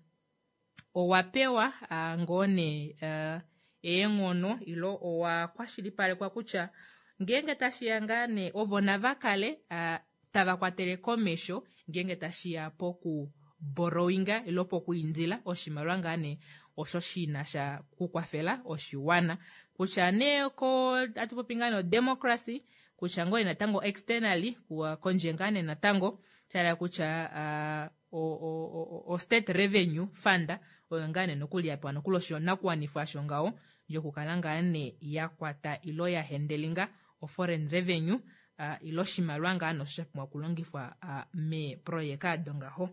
owa pewa uh, ngoo nee uh, eenghono ilo owa kwashilipalekwa kutya ngeenge tashiya ngaa nee ovo nava kale uh, tava kwatele komesho ngeenge tashiya poku borrowinga ilo pokuindila oshimaliwa ngaa nee osho shinasha kukwafela oshiwana kutya nee ko atupopi ngaa nee odemocracy kutya ngoo nee natango externally kondje ngaa nee natango shala kutya uh, o, o, o, o state revenue fund oyo ngaa nee nokuli yapewa nokuli oshinakuwanifwa asho ngaho Yokukala ngaa nee yakwata ilo ya hendelinga o foreign revenue uh, ilo oshimaliwa ngaa nosho sha pumbwa okulongifwa uh, meeprojeka ado ngaho.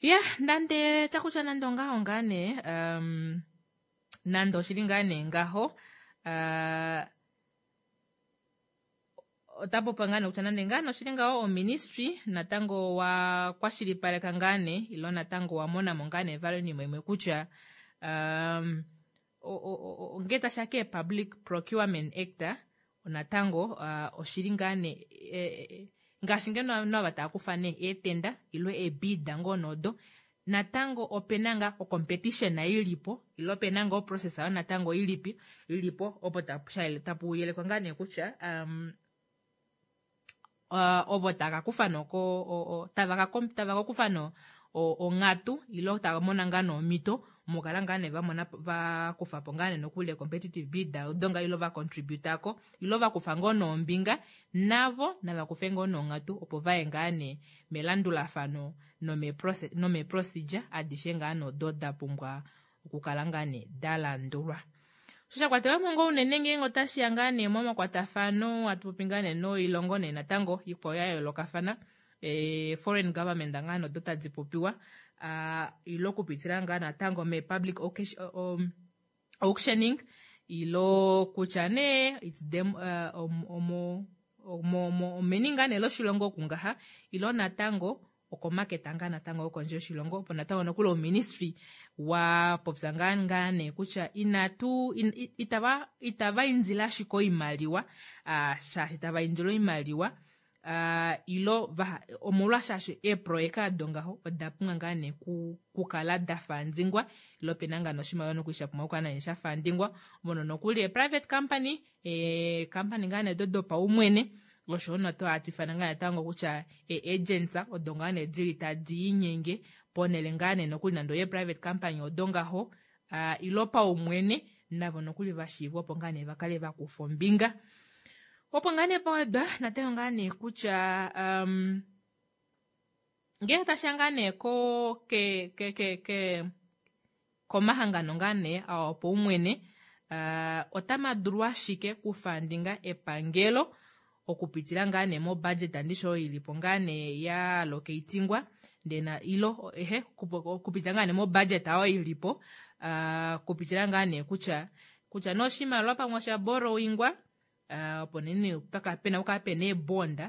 Ya nande takutya nande ongaho ngaa nee um, nande oshili ngaa nee ngaho uh, otapopa ngaa nee kutya nande ngaa nee oshili ngaho oministry natango wa kwashilipaleka ngaa nee ilo natango wa monamo ngaa nee vali oinima imwe kutya um, ngee tashiya ke public procurement act natango uh, oshili ngaa nee e, e, ngaashi ngeno ovanhu ava tava kufa nee eetenda ilo eebida ngoo nodo natango opena ngaa ocompetition ilipo ilo opena ngaa oprocess ayo natango ilipi ilipo opo tapu yelekwa ngaa nee kutya um, uh, ovo tava kufa noko tava ka kufa no onghatu ilo tava mona ngaa nomhito mukala ngaa nee vamona vakufapo ngaa nee nokuli competitive bid odo ngaa ilo vacontributako ilo vakufa ngoo nombinga navo navakufe ngoo nonghatu opo vaye ngaa nee melandulafano nomeprocedure adishe ngaa nodo dapumbwa okukala ngaa nee dalandulwa. Osho shakwatelwamo ngoo unene ngeenge otashiya ngaa nee momakwatafano atupopi ngaa nee noilongo nee natango ikwao ya yoolokafana e, foreign government ngaa nodo tadi popiwa uh, ilo okupitila ngaa natango me public um, auctioning ilo kutya nee it's them uh, omo omeni ngaa nee loshilongo okungaha ilo natango okomaketa ngaa natango okondje yoshilongo opo natango nokuli oministry wa popya ngaa ngaa nee kutya inatu in, itava itava indile ashike oimaliwa uh, shaashi tava indile oimaliwa Uh, ilo omolwashaashi eeproyeka ado ngaho oda pumbwa ngaa nee kukala da fandingwa ilo pena ngaa noshimaliwa nokuli sha pumbwa okukala nee sha fandingwa mono nokuli e-private company e-company ngaa nee do dopaumwene oshowo noto hatu ifana ngaa natango kutya e-agents odo ngaa nee dili tadi inyenge ponele ngaa nee nokuli nande oye private company odo ngaho uh, ilo paumwene navo nokuli vashiivwa opo ngaa nee vakale vakufa ombinga. Opo ngaa nee pawedwa natango ngaa nee kutya um, ngele tashiya ngaa nee ko ke, ke, ke, ke komahangano ngaa nee awopaumwene uh, otama dulu ashike kufandinga epangelo okupitila ngaa nee mobudget andisho oyo ilipo ngaa nee ya allocatingwa ndena ilo ehe okupitila ngaa nee mobudget oyo ilipo uh, kupitila ngaa nee kutya kutya noshimaliwa pamwe osha borrowingwa Uh, opo nene paka pena okukala pena eebonda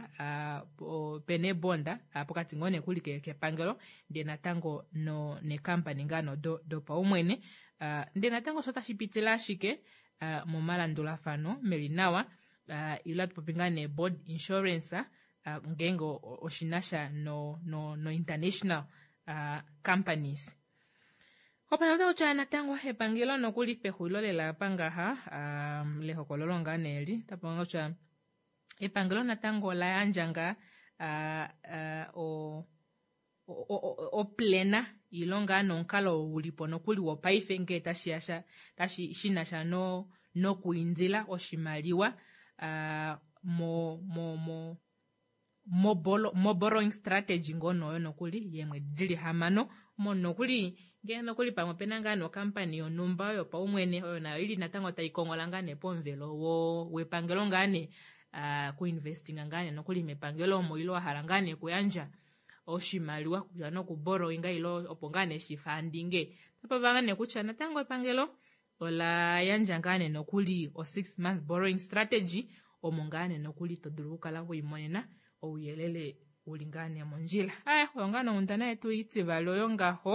uh, pena eebonda uh, pokati ngoo nee kuli kepangelo ndee natango no nekampani ngaa no dopaumwene uh, ndee natango osho tashi pitile ashike uh, momalandulafano meli nawa uh, ilo atupopi ngaa nee board insurance uh, ngeenge oshinasha no, no, no international uh, companies. Opo natango kutya natango epangelo nokuli pexulilo lela apa ngaha um, lehokololo ngaa neeli tapo kutya epangelo natango ola yandja ngaa uh, uh, oplena ilo ngaa nomukalo ulipo nokuli wopaife ngee tashiya sha tashi shinasha no nokuindila oshimaliwa uh, mo mo mo mo borrowing strategy ngoo noyo nokuli yeemwedi dili hamano mo nokuli ngee nokuli pamwe opena ngaa nokampani yonhumba yopaumwene oyo nayo ili natango taikongola ngaa nee pomuvelo wepangelo ngaa nee uh, kuinvestinga ngaa nee nokuli mepangelo omo ilo wahala ngaa nee kuyandja oshimaliwa kutya nokuborrowinga ilo opo ngaa nee shifandinge tapava ngaa nee kutya natango epangelo ola yandja ngaa nee nokuli o six month borrowing strategy omo ngaa nee nokuli to dulu okukala wiimonena ouyelele uli ngaa nee mondjila. Aya oyo ngaa nonghundana yetu itivali oyo ngaho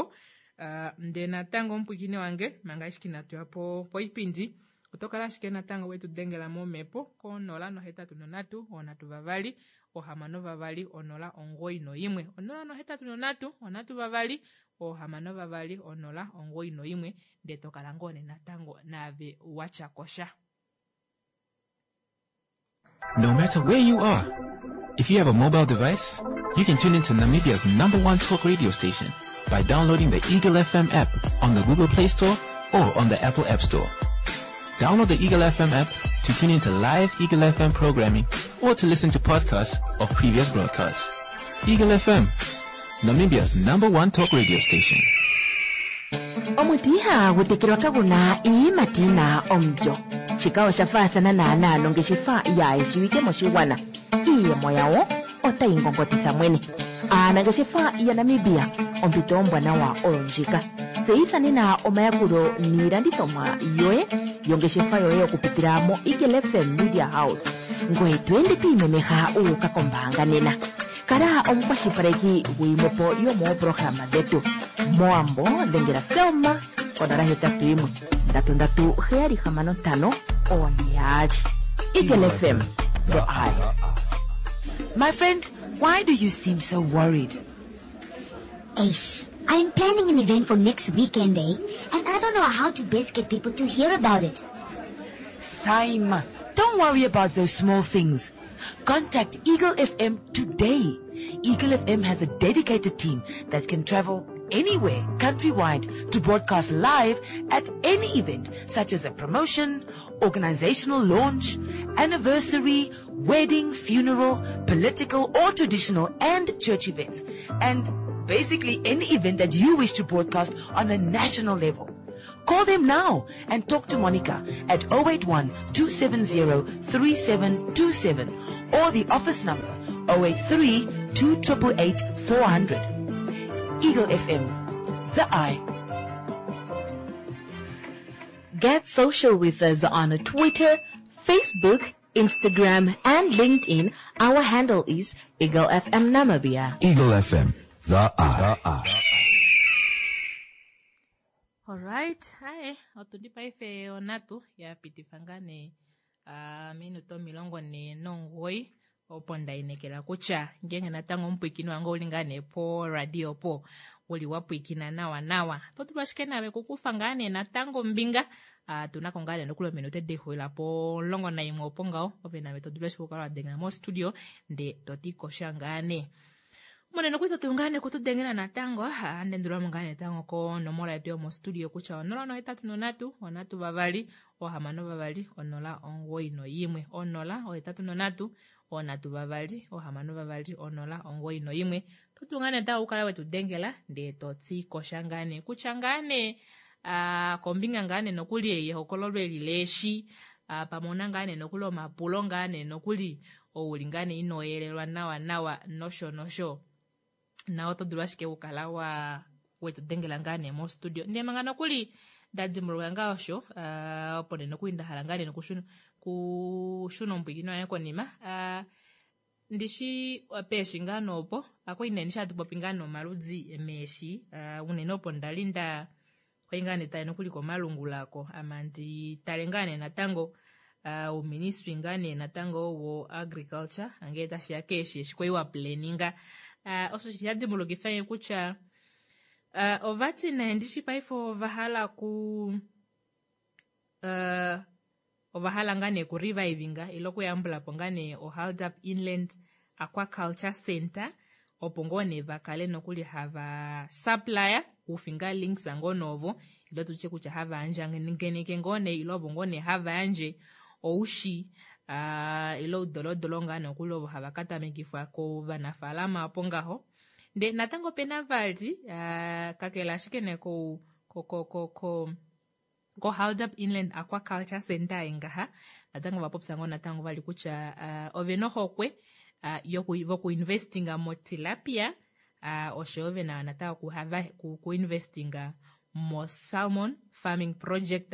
uh, ndee natango omupwiikini wange manga ashike inatu ya po poipindi oto kala ashike natango wetu dengela momhepo ko nola nohetatu nonhatu onhatu vavali ohamano vavali onola omugoyi noimwe onola nohetatu nonhatu onhatu vavali ohamano vavali onola omugoyi noimwe ndee tokala ngoo nee natango naave watya kosha. No matter where you are, if you have a mobile device, you can tune into Namibia's number one talk radio station by downloading the Eagle F M app on the Google Play Store or on the Apple App Store. Download the Eagle F M app to tune into live Eagle F M programming or to listen to podcasts of previous broadcasts. Eagle F M, Namibia's number one talk radio station. Omuti ihagu tekelwa kaguna iiyimati yina omulyo. Shika osha faathana naanaa nongeshefa yaayeshiwike moshigwana. Iiyemo yawo otayi ngongotitha mwene. Aanangeshefa yaNamibia, ompito ombwanawa oyo ndjika. Tseyitha nena omayakulo niilandithomwa yoye yongeshefa yoye okupitila moEagle F M Media House. Ngoye to ende twi imemeha wu uka kombaanga nena. Kala omukwashilipaleki guyimwe po yomooprograma dhetu. Mowambo dhengela Selma konola hetatu yimwe ndatu ndatu heyali hamano ntano oone yaali. Eagle F M, the eye. My friend, why do you seem so worried? Ace, I'm planning an event for next weekend, eh? And I don't know how to best get people to hear about it. Saima, don't worry about those small things. Contact Eagle F M today. Eagle F M has a dedicated team that can travel anywhere countrywide to broadcast live at any event such as a promotion, organizational launch, anniversary, wedding, funeral, political or traditional and church events. And basically any event that you wish to broadcast on a national level. Call them now and talk to Monica at oh eight one two seven zero three seven two seven or the office number oh eight three two eight eight four hundred. Eagle F M, the eye. Get social with us on Twitter, Facebook, Instagram, and LinkedIn. Our handle is Eagle F M Namibia. Eagle F M, the eye. The eye. Alright, aye, otuli paife onatu ya pitifa ngaa nee uh, minuto omilongo ne nomugoyi opo ndainekela kutya ngenge natango omupwikini wange ouli ngaa nee po radio po wuli wa pwikina nawa nawa to dulu ashike nawe kukufa ngaa nee natango ombinga uh, tunako ngaa nee nokuli ominute dexulila po omulongo naimwe opo ngaho ove nawe to dulu ashike okukala wadengela mostudio nde toti kosha ngaa nee monene okuli totu ngaa nee kutudengela natango andendulwamo ngaa nee natango konomola yetu yomostudio kutya onola nohetatu nonatu onatu vavali ohamano vavali onola omugoyi noyimwe onola ohetatu nonatu onatu vavali ohamano vavali onola omugoyi noyimwe totu ngaa nee natango okukala wetu dengela ndee toti kosha ngaa nee kutya ngaa nee ah, kombinga ngaa nee nokuli yehokololo eli leeshi ah, pamwe una ngaa nee nokuli omapulo ngaa nee nokuli ouli ngaa nee inoyelelwa nawa nawa nosho nosho na oto dulu ashike okukala wa wetu dengela ngaa nee mostudio ndee manga nokuli ndadimbuluka ngaa osho uh, opo nee nokuli ndahala ngaa nee nokushuna kushuna omupwikino waye konima uh, ndishi peeshi ngaa noopo akwai nee ndishi hatu popi ngaa nomaludzi meeshi uh, unene opo ndali nda kwai ngaa nee tale nokuli komalungula ako ama ndi tale ngaa nee natango uh, uuministry ngaa nee natango wo agriculture angele tashiya keeshi eshi kwai wa planninga uh, osho sha dimbulukifa nge kutya uh, ovati nee ndishi paife ovahala ku uh, ovahala ngaa nee ku revivinga ile okuyambulapo ngaa nee o Hardap Inland Aquaculture Center opo ngoo nee vakale nokuli hava supplier kufinga links ngoo novo ile tutye kutya hava andjangeneke ngoo nee ile ovo ngoo nee hava yandje oushi uh, ile oudolodolo ngaa nokuli ovo hava katamekifwa kovanafaalama opo ngaho nde natango opena vali uh, kakele ashike nee ko ko ko ko, ko ko Hardap Inland Aquaculture Center ngaha natango vapopya ngoo natango vali kutya uh, ovena ohokwe uh, yoku vokuinvestinga motilapia uh, oshoyo vena natango kuhava ku, kuinvestinga mo salmon farming project.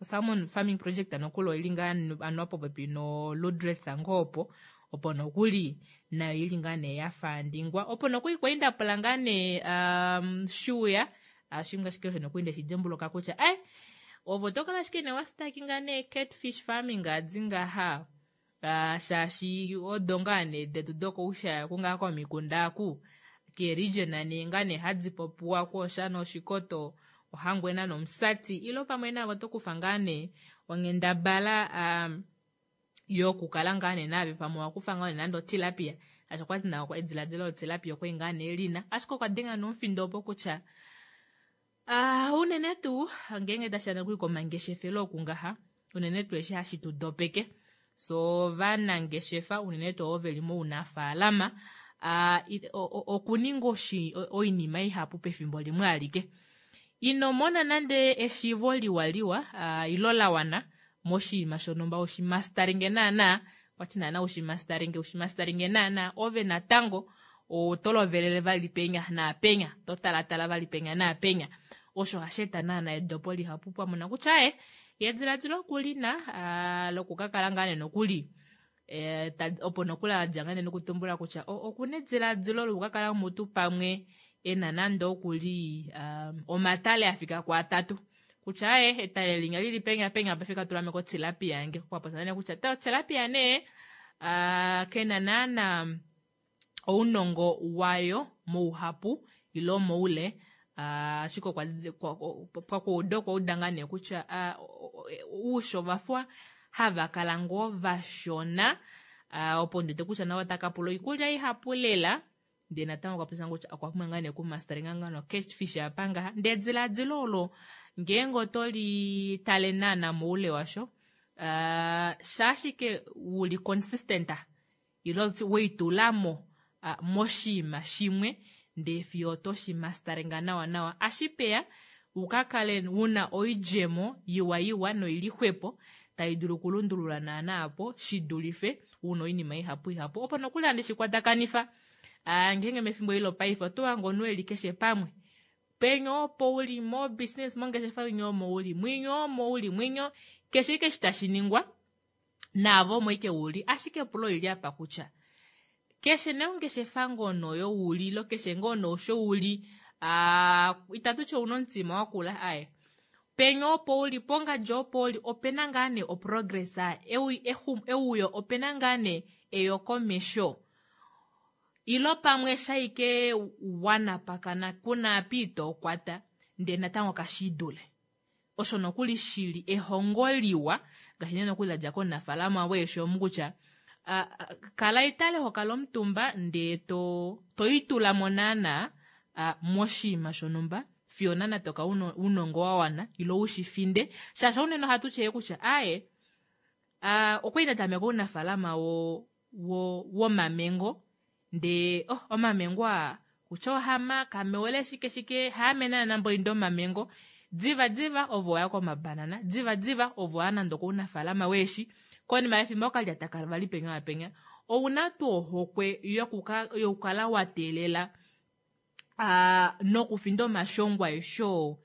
O salmon farming project nokuli oili ngaa anuwa popepi no Lüderitz ngoo opo opo nokuli nayo ili ngaa nee yafandingwa opo nokuli kwali ndapula ngaa nee um, shuya ashimwe ashike osho nokuli ndeshidimbuluka kutya ai ovo tokala ashike nee wastartinga nee catfish farming adi ngaha uh, shaashi odo ngaa nee detu dokoushaya kungaa komikunda aku keregion nee ngaa nee hadi popiwa kwoshana oshikoto ohangwena nomusati ilo pamwe navo tokufa ngaa nee onghendabala um, yokukala ngaa nee nave pamwe wakufa ngaa nee nande otilapia ashi okwati nawo ediladilo lotilapia okwali ngaa nee lina ashike okwa denga nomufindo opo kutya uh, unene tuu ngeenge tashiya nokuli komangeshefelo oku ngaha unene tuu eshi hashi tu dopeke so vanangeshefa unene tuu ovo veli mounafaalama uh, okuninga oshi oinima ihapu pefimbo limwe alike. Ino mona nande eshiivo liwaliwa uh, ilo la wana moshinima shonhumba ushimastaringe naana, kwati naana ushimastaringe ushimastaringe naana, ove natango oto lovelele vali penya naapenya, to talatala vali penya naapenya. Osho hashi eta naana edopo lihapu pamona kutya aye yediladilo okulina uh, lokukakala ngaa nee nokuli eh, opo nokuli adja ngaa nee nokutumbula kutya okuna ediladilo lokukakala mutu pamwe ena nande okuli um, omatale afika kuatatu kutya aye etale linya lili penya penya pafika tula meko tilapia yange kwapotsa nee kutya ta tilapia nee uh, kena naana ounongo wayo mouhapu ilo moule ashike kwa kuuda okwa uda ngaa nee kutya uusho vafwa hava kala ngoo vashona opo ndiwete kutya navo otaka pula oikulya ihapu lela ndee natango okwa popya kutya okwa pumbwa ngaa nee okumastaringa ngaa no catfish apa ngaha ndee ediladilo olo ngeenge oto li tale naana moule washo shaashike uli consistent ilo weitulamo moshinima shimwe ndee fiyo oto shi mastaringa nawa nawa ashipeya ukakale una oidjemo iwa iwa noili xwepo tai dulu okulundulula naana apo shidulife una oinima ihapu ihapu opo nokuli handi shikwatakanifa ngeenge mefimbo eli lopaife oto hange omunhu eli keshe pamwe penya opo uli mo business mongeshefa inyo omo uli mwinyo omo uli mwinyo keshe ike eshi tashi ningwa naavo omo ike uli ashike epulo olili apa kutya keshe neongeshefa ngono yo uli ilo keshe ngono osho uli itatu ti ouna omutima wakula aye penya opo uli pongadi opo uli opena ngaa nee oprogress euyo opena ngaa nee eyokomesho ilo pamwe shaike wanapakana kuna apa itokwata ndee natango kashidule osho nokuli shili ehongo liwa ngaashi nee nokuli ladja komunafaalama weeshi omu kutya kala itale hokala omutumba ndee to toitulamo naana moshinima shonhumba fiyo naana toka unongo wa wana ilo ushifinde shaashi unene ohatu tye kutya aye okwali ndatameka ounafaalama wo wo womamengo ndee oh omamengo aa kutya ohama kamewele shike shike haame naana mboinda omamengo diva diva ovo waya komabanana diva diva ovo waya nande okounafaalama weeshi konima yefimbo okalyata vali penya wapenya ouna tuu ohokwe yokukala wateelela nokufinda omashongo aeshe oo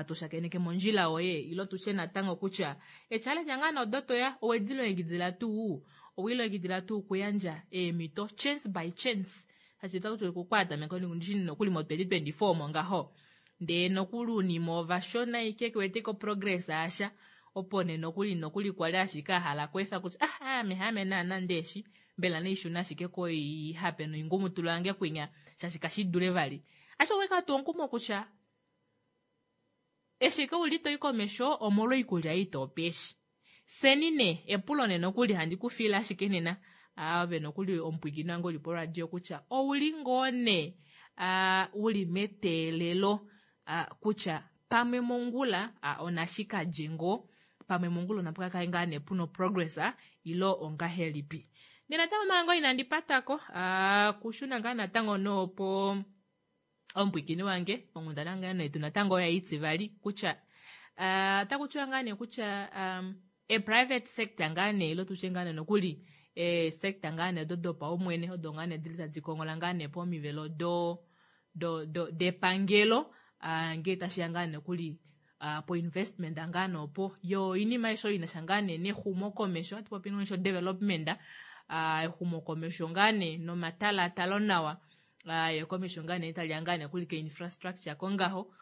toshakeneke mondjila yoye ilo tutye natango kutya echallenge ngaa nee odo toya owedilongekidila tuu owelilongekidila tuu okuyandja eemhito chance by chance shaashi otakuti okwatameka nokuli mo twenty twenty four omo ngaho ndee nokuli unima ovashona ike keweteko progress asha opo nee nokuli nokuli kwali ashike ahala kweefa kutya ah ame haame naana ndeeshi mbela neishuna ashike koihape noingumutulu yange kwinya shaashi kashidule vali ashike oweka tuu omukumo kutya eshi uli toi komesho omolwa oikulya ei topeshi seni nee epulo nee nokuli handi kufiila ashike nena ove nokuli omupwiikini wange uli poradio kutya ouli ngoo nee uli meteelelo kutya pamwe mongula onashikalye ngoo pamwe mongula onapu kakale ngaa nee puna progress ilo ongahelipi ndee natango manga inandi patako kushuna ngaa natango noopo omupwiikini wange onghundana ngaa nee natango oya itivali kutya otaku tiwa ngaa nee kutya e private sector ngaa nee ilo tutye ngaa nee nokuli e sector ngaa nee odo dopaumwene odo ngaa nee dili tadi kongola ngaa nee pomivelo do do do depangelo ngee tashiya ngaa nokuli po investment ngaa nee opo yo oinima aishe oyo inasha ngaa nee nexumokomesho ohatu popi nosho development exumokomesho ngaa nee nomatalatalo nawa eyokomesho ngaa nee taliya ngaa nee nokuli ke infrastructure kongaho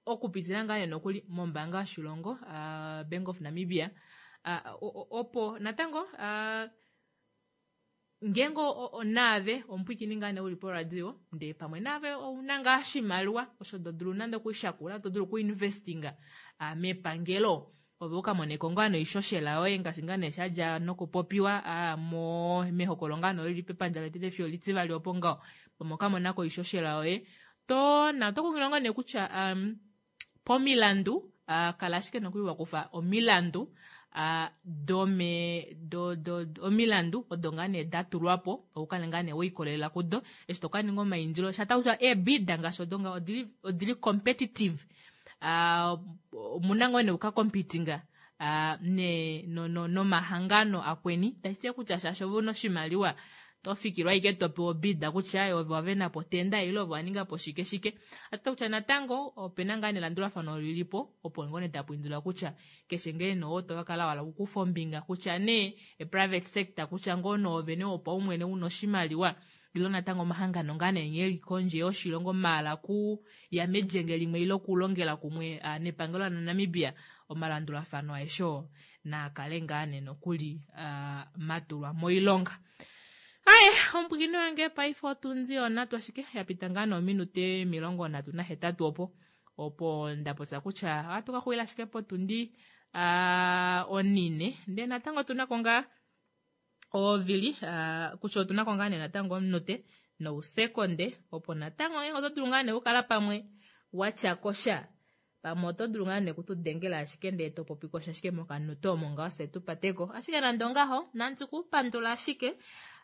okupitila ngaa nee nokuli mombaanga yoshilongo Bank of Namibia opo natango ngeenge naave omupwiikini ngaa nee uli poradio ndee pamwe naave ouna ngaa oshimaliwa osho todulu nande okushakula todulu okuinvestinga mepangelo ove ukamoneko ngaa noishoshela yoye ngaashi ngaa nee shadja nokupopiwa mo mehokolo ngaa nee lili pepandja letete fiyo litivali opo ngaho pamwe okamonako oishoshela yoye to na oto kunghililwa ngaa nee kutya pomilandu kala ashike nokuli wakufa omilandu uh, dome do, do, do, omilandu odo ngaa nee datulwapo oukale ngaa nee weikolelela kudo eshi tokaninga omaindilo shata kutya eebida ngaashi odo nga odili, odili competitive uh, omuna ngoo nee ukakompitinga uh, ne no, no, nomahangano akweni tashi kutya shaashi ove una oshimaliwa tofikilwa ashike topewa obida kutya ove wavenapo otenda ile ove waningapo shike shike ati kutya natango opena ngaa nelandulafano lilipo opo ngoo nee tapu indilwa kutya keshe ngee nee tokakala wala okukufa ombinga kutya nee e-private sector kutya ngoo noovene wopaumwene una oshimaliwa ilo natango omahangano ngaa nee nghee eli kondje yoshilongo maala ku ya melyenge limwe ile okulongela kumwe uh, nepangelo laNamibia omalandulafano aeshe oo naakale ngaa nee nokuli uh, matulwa moilonga. Aye omupwikini wange paife otundi onhatu ashike yapita ngaa noominute emilongo nhatu nahetatu opo opo ndapopya kutya ohatu ka xulila ashike potundi uh, onine ndee natango otunako ngaa ovili uh, kutya otunako ngaa nee natango omunute nousekonde opo natango eh, oto dulu ngaa nee okukala pamwe watyakosha pamwe oto dulu ngaa nee kutudengela ashike ndee topopikosha ashike mokanute omo ngaho fye tupateko ashike nande ongaho nandi kupandula ashike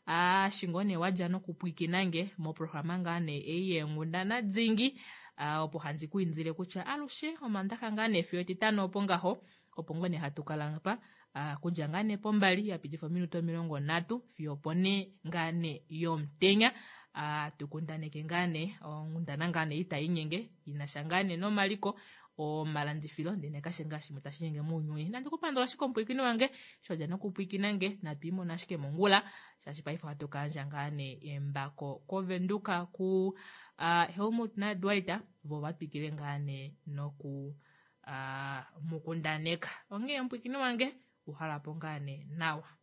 ashi ngoo nee wadja nokupwikinange moprograma ngaa nee ei yeenghundana dingi uh, opo handi ku indile kutya alushe omandaxa ngaa nee fiyo etitano opo ngaho opo ngoo nee hatu kala pa uh, kudja ngaa nee pombali yapitifa ominute omilongo nhatu fiyo opo nee ngaa nee yomutenya uh, tukundaneke ngaa nee onghundana ngaa nee itainyenge inasha ngaa nee nomaliko omalandifilo ndele kashe ngaa shimwe tashi nyenge mounyuni nandi kupandula ashike omupwiikini wange shodja nokupwiikinange natu imona ashike mongula shaashi paife ohatu kayandja ngaa nee embako kovenduka ku uh, Helmut naDwight vo vatwikile ngaa nee noku uh, mukundaneka onghee omupwiikini wange uhalapo ngaa nee nawa.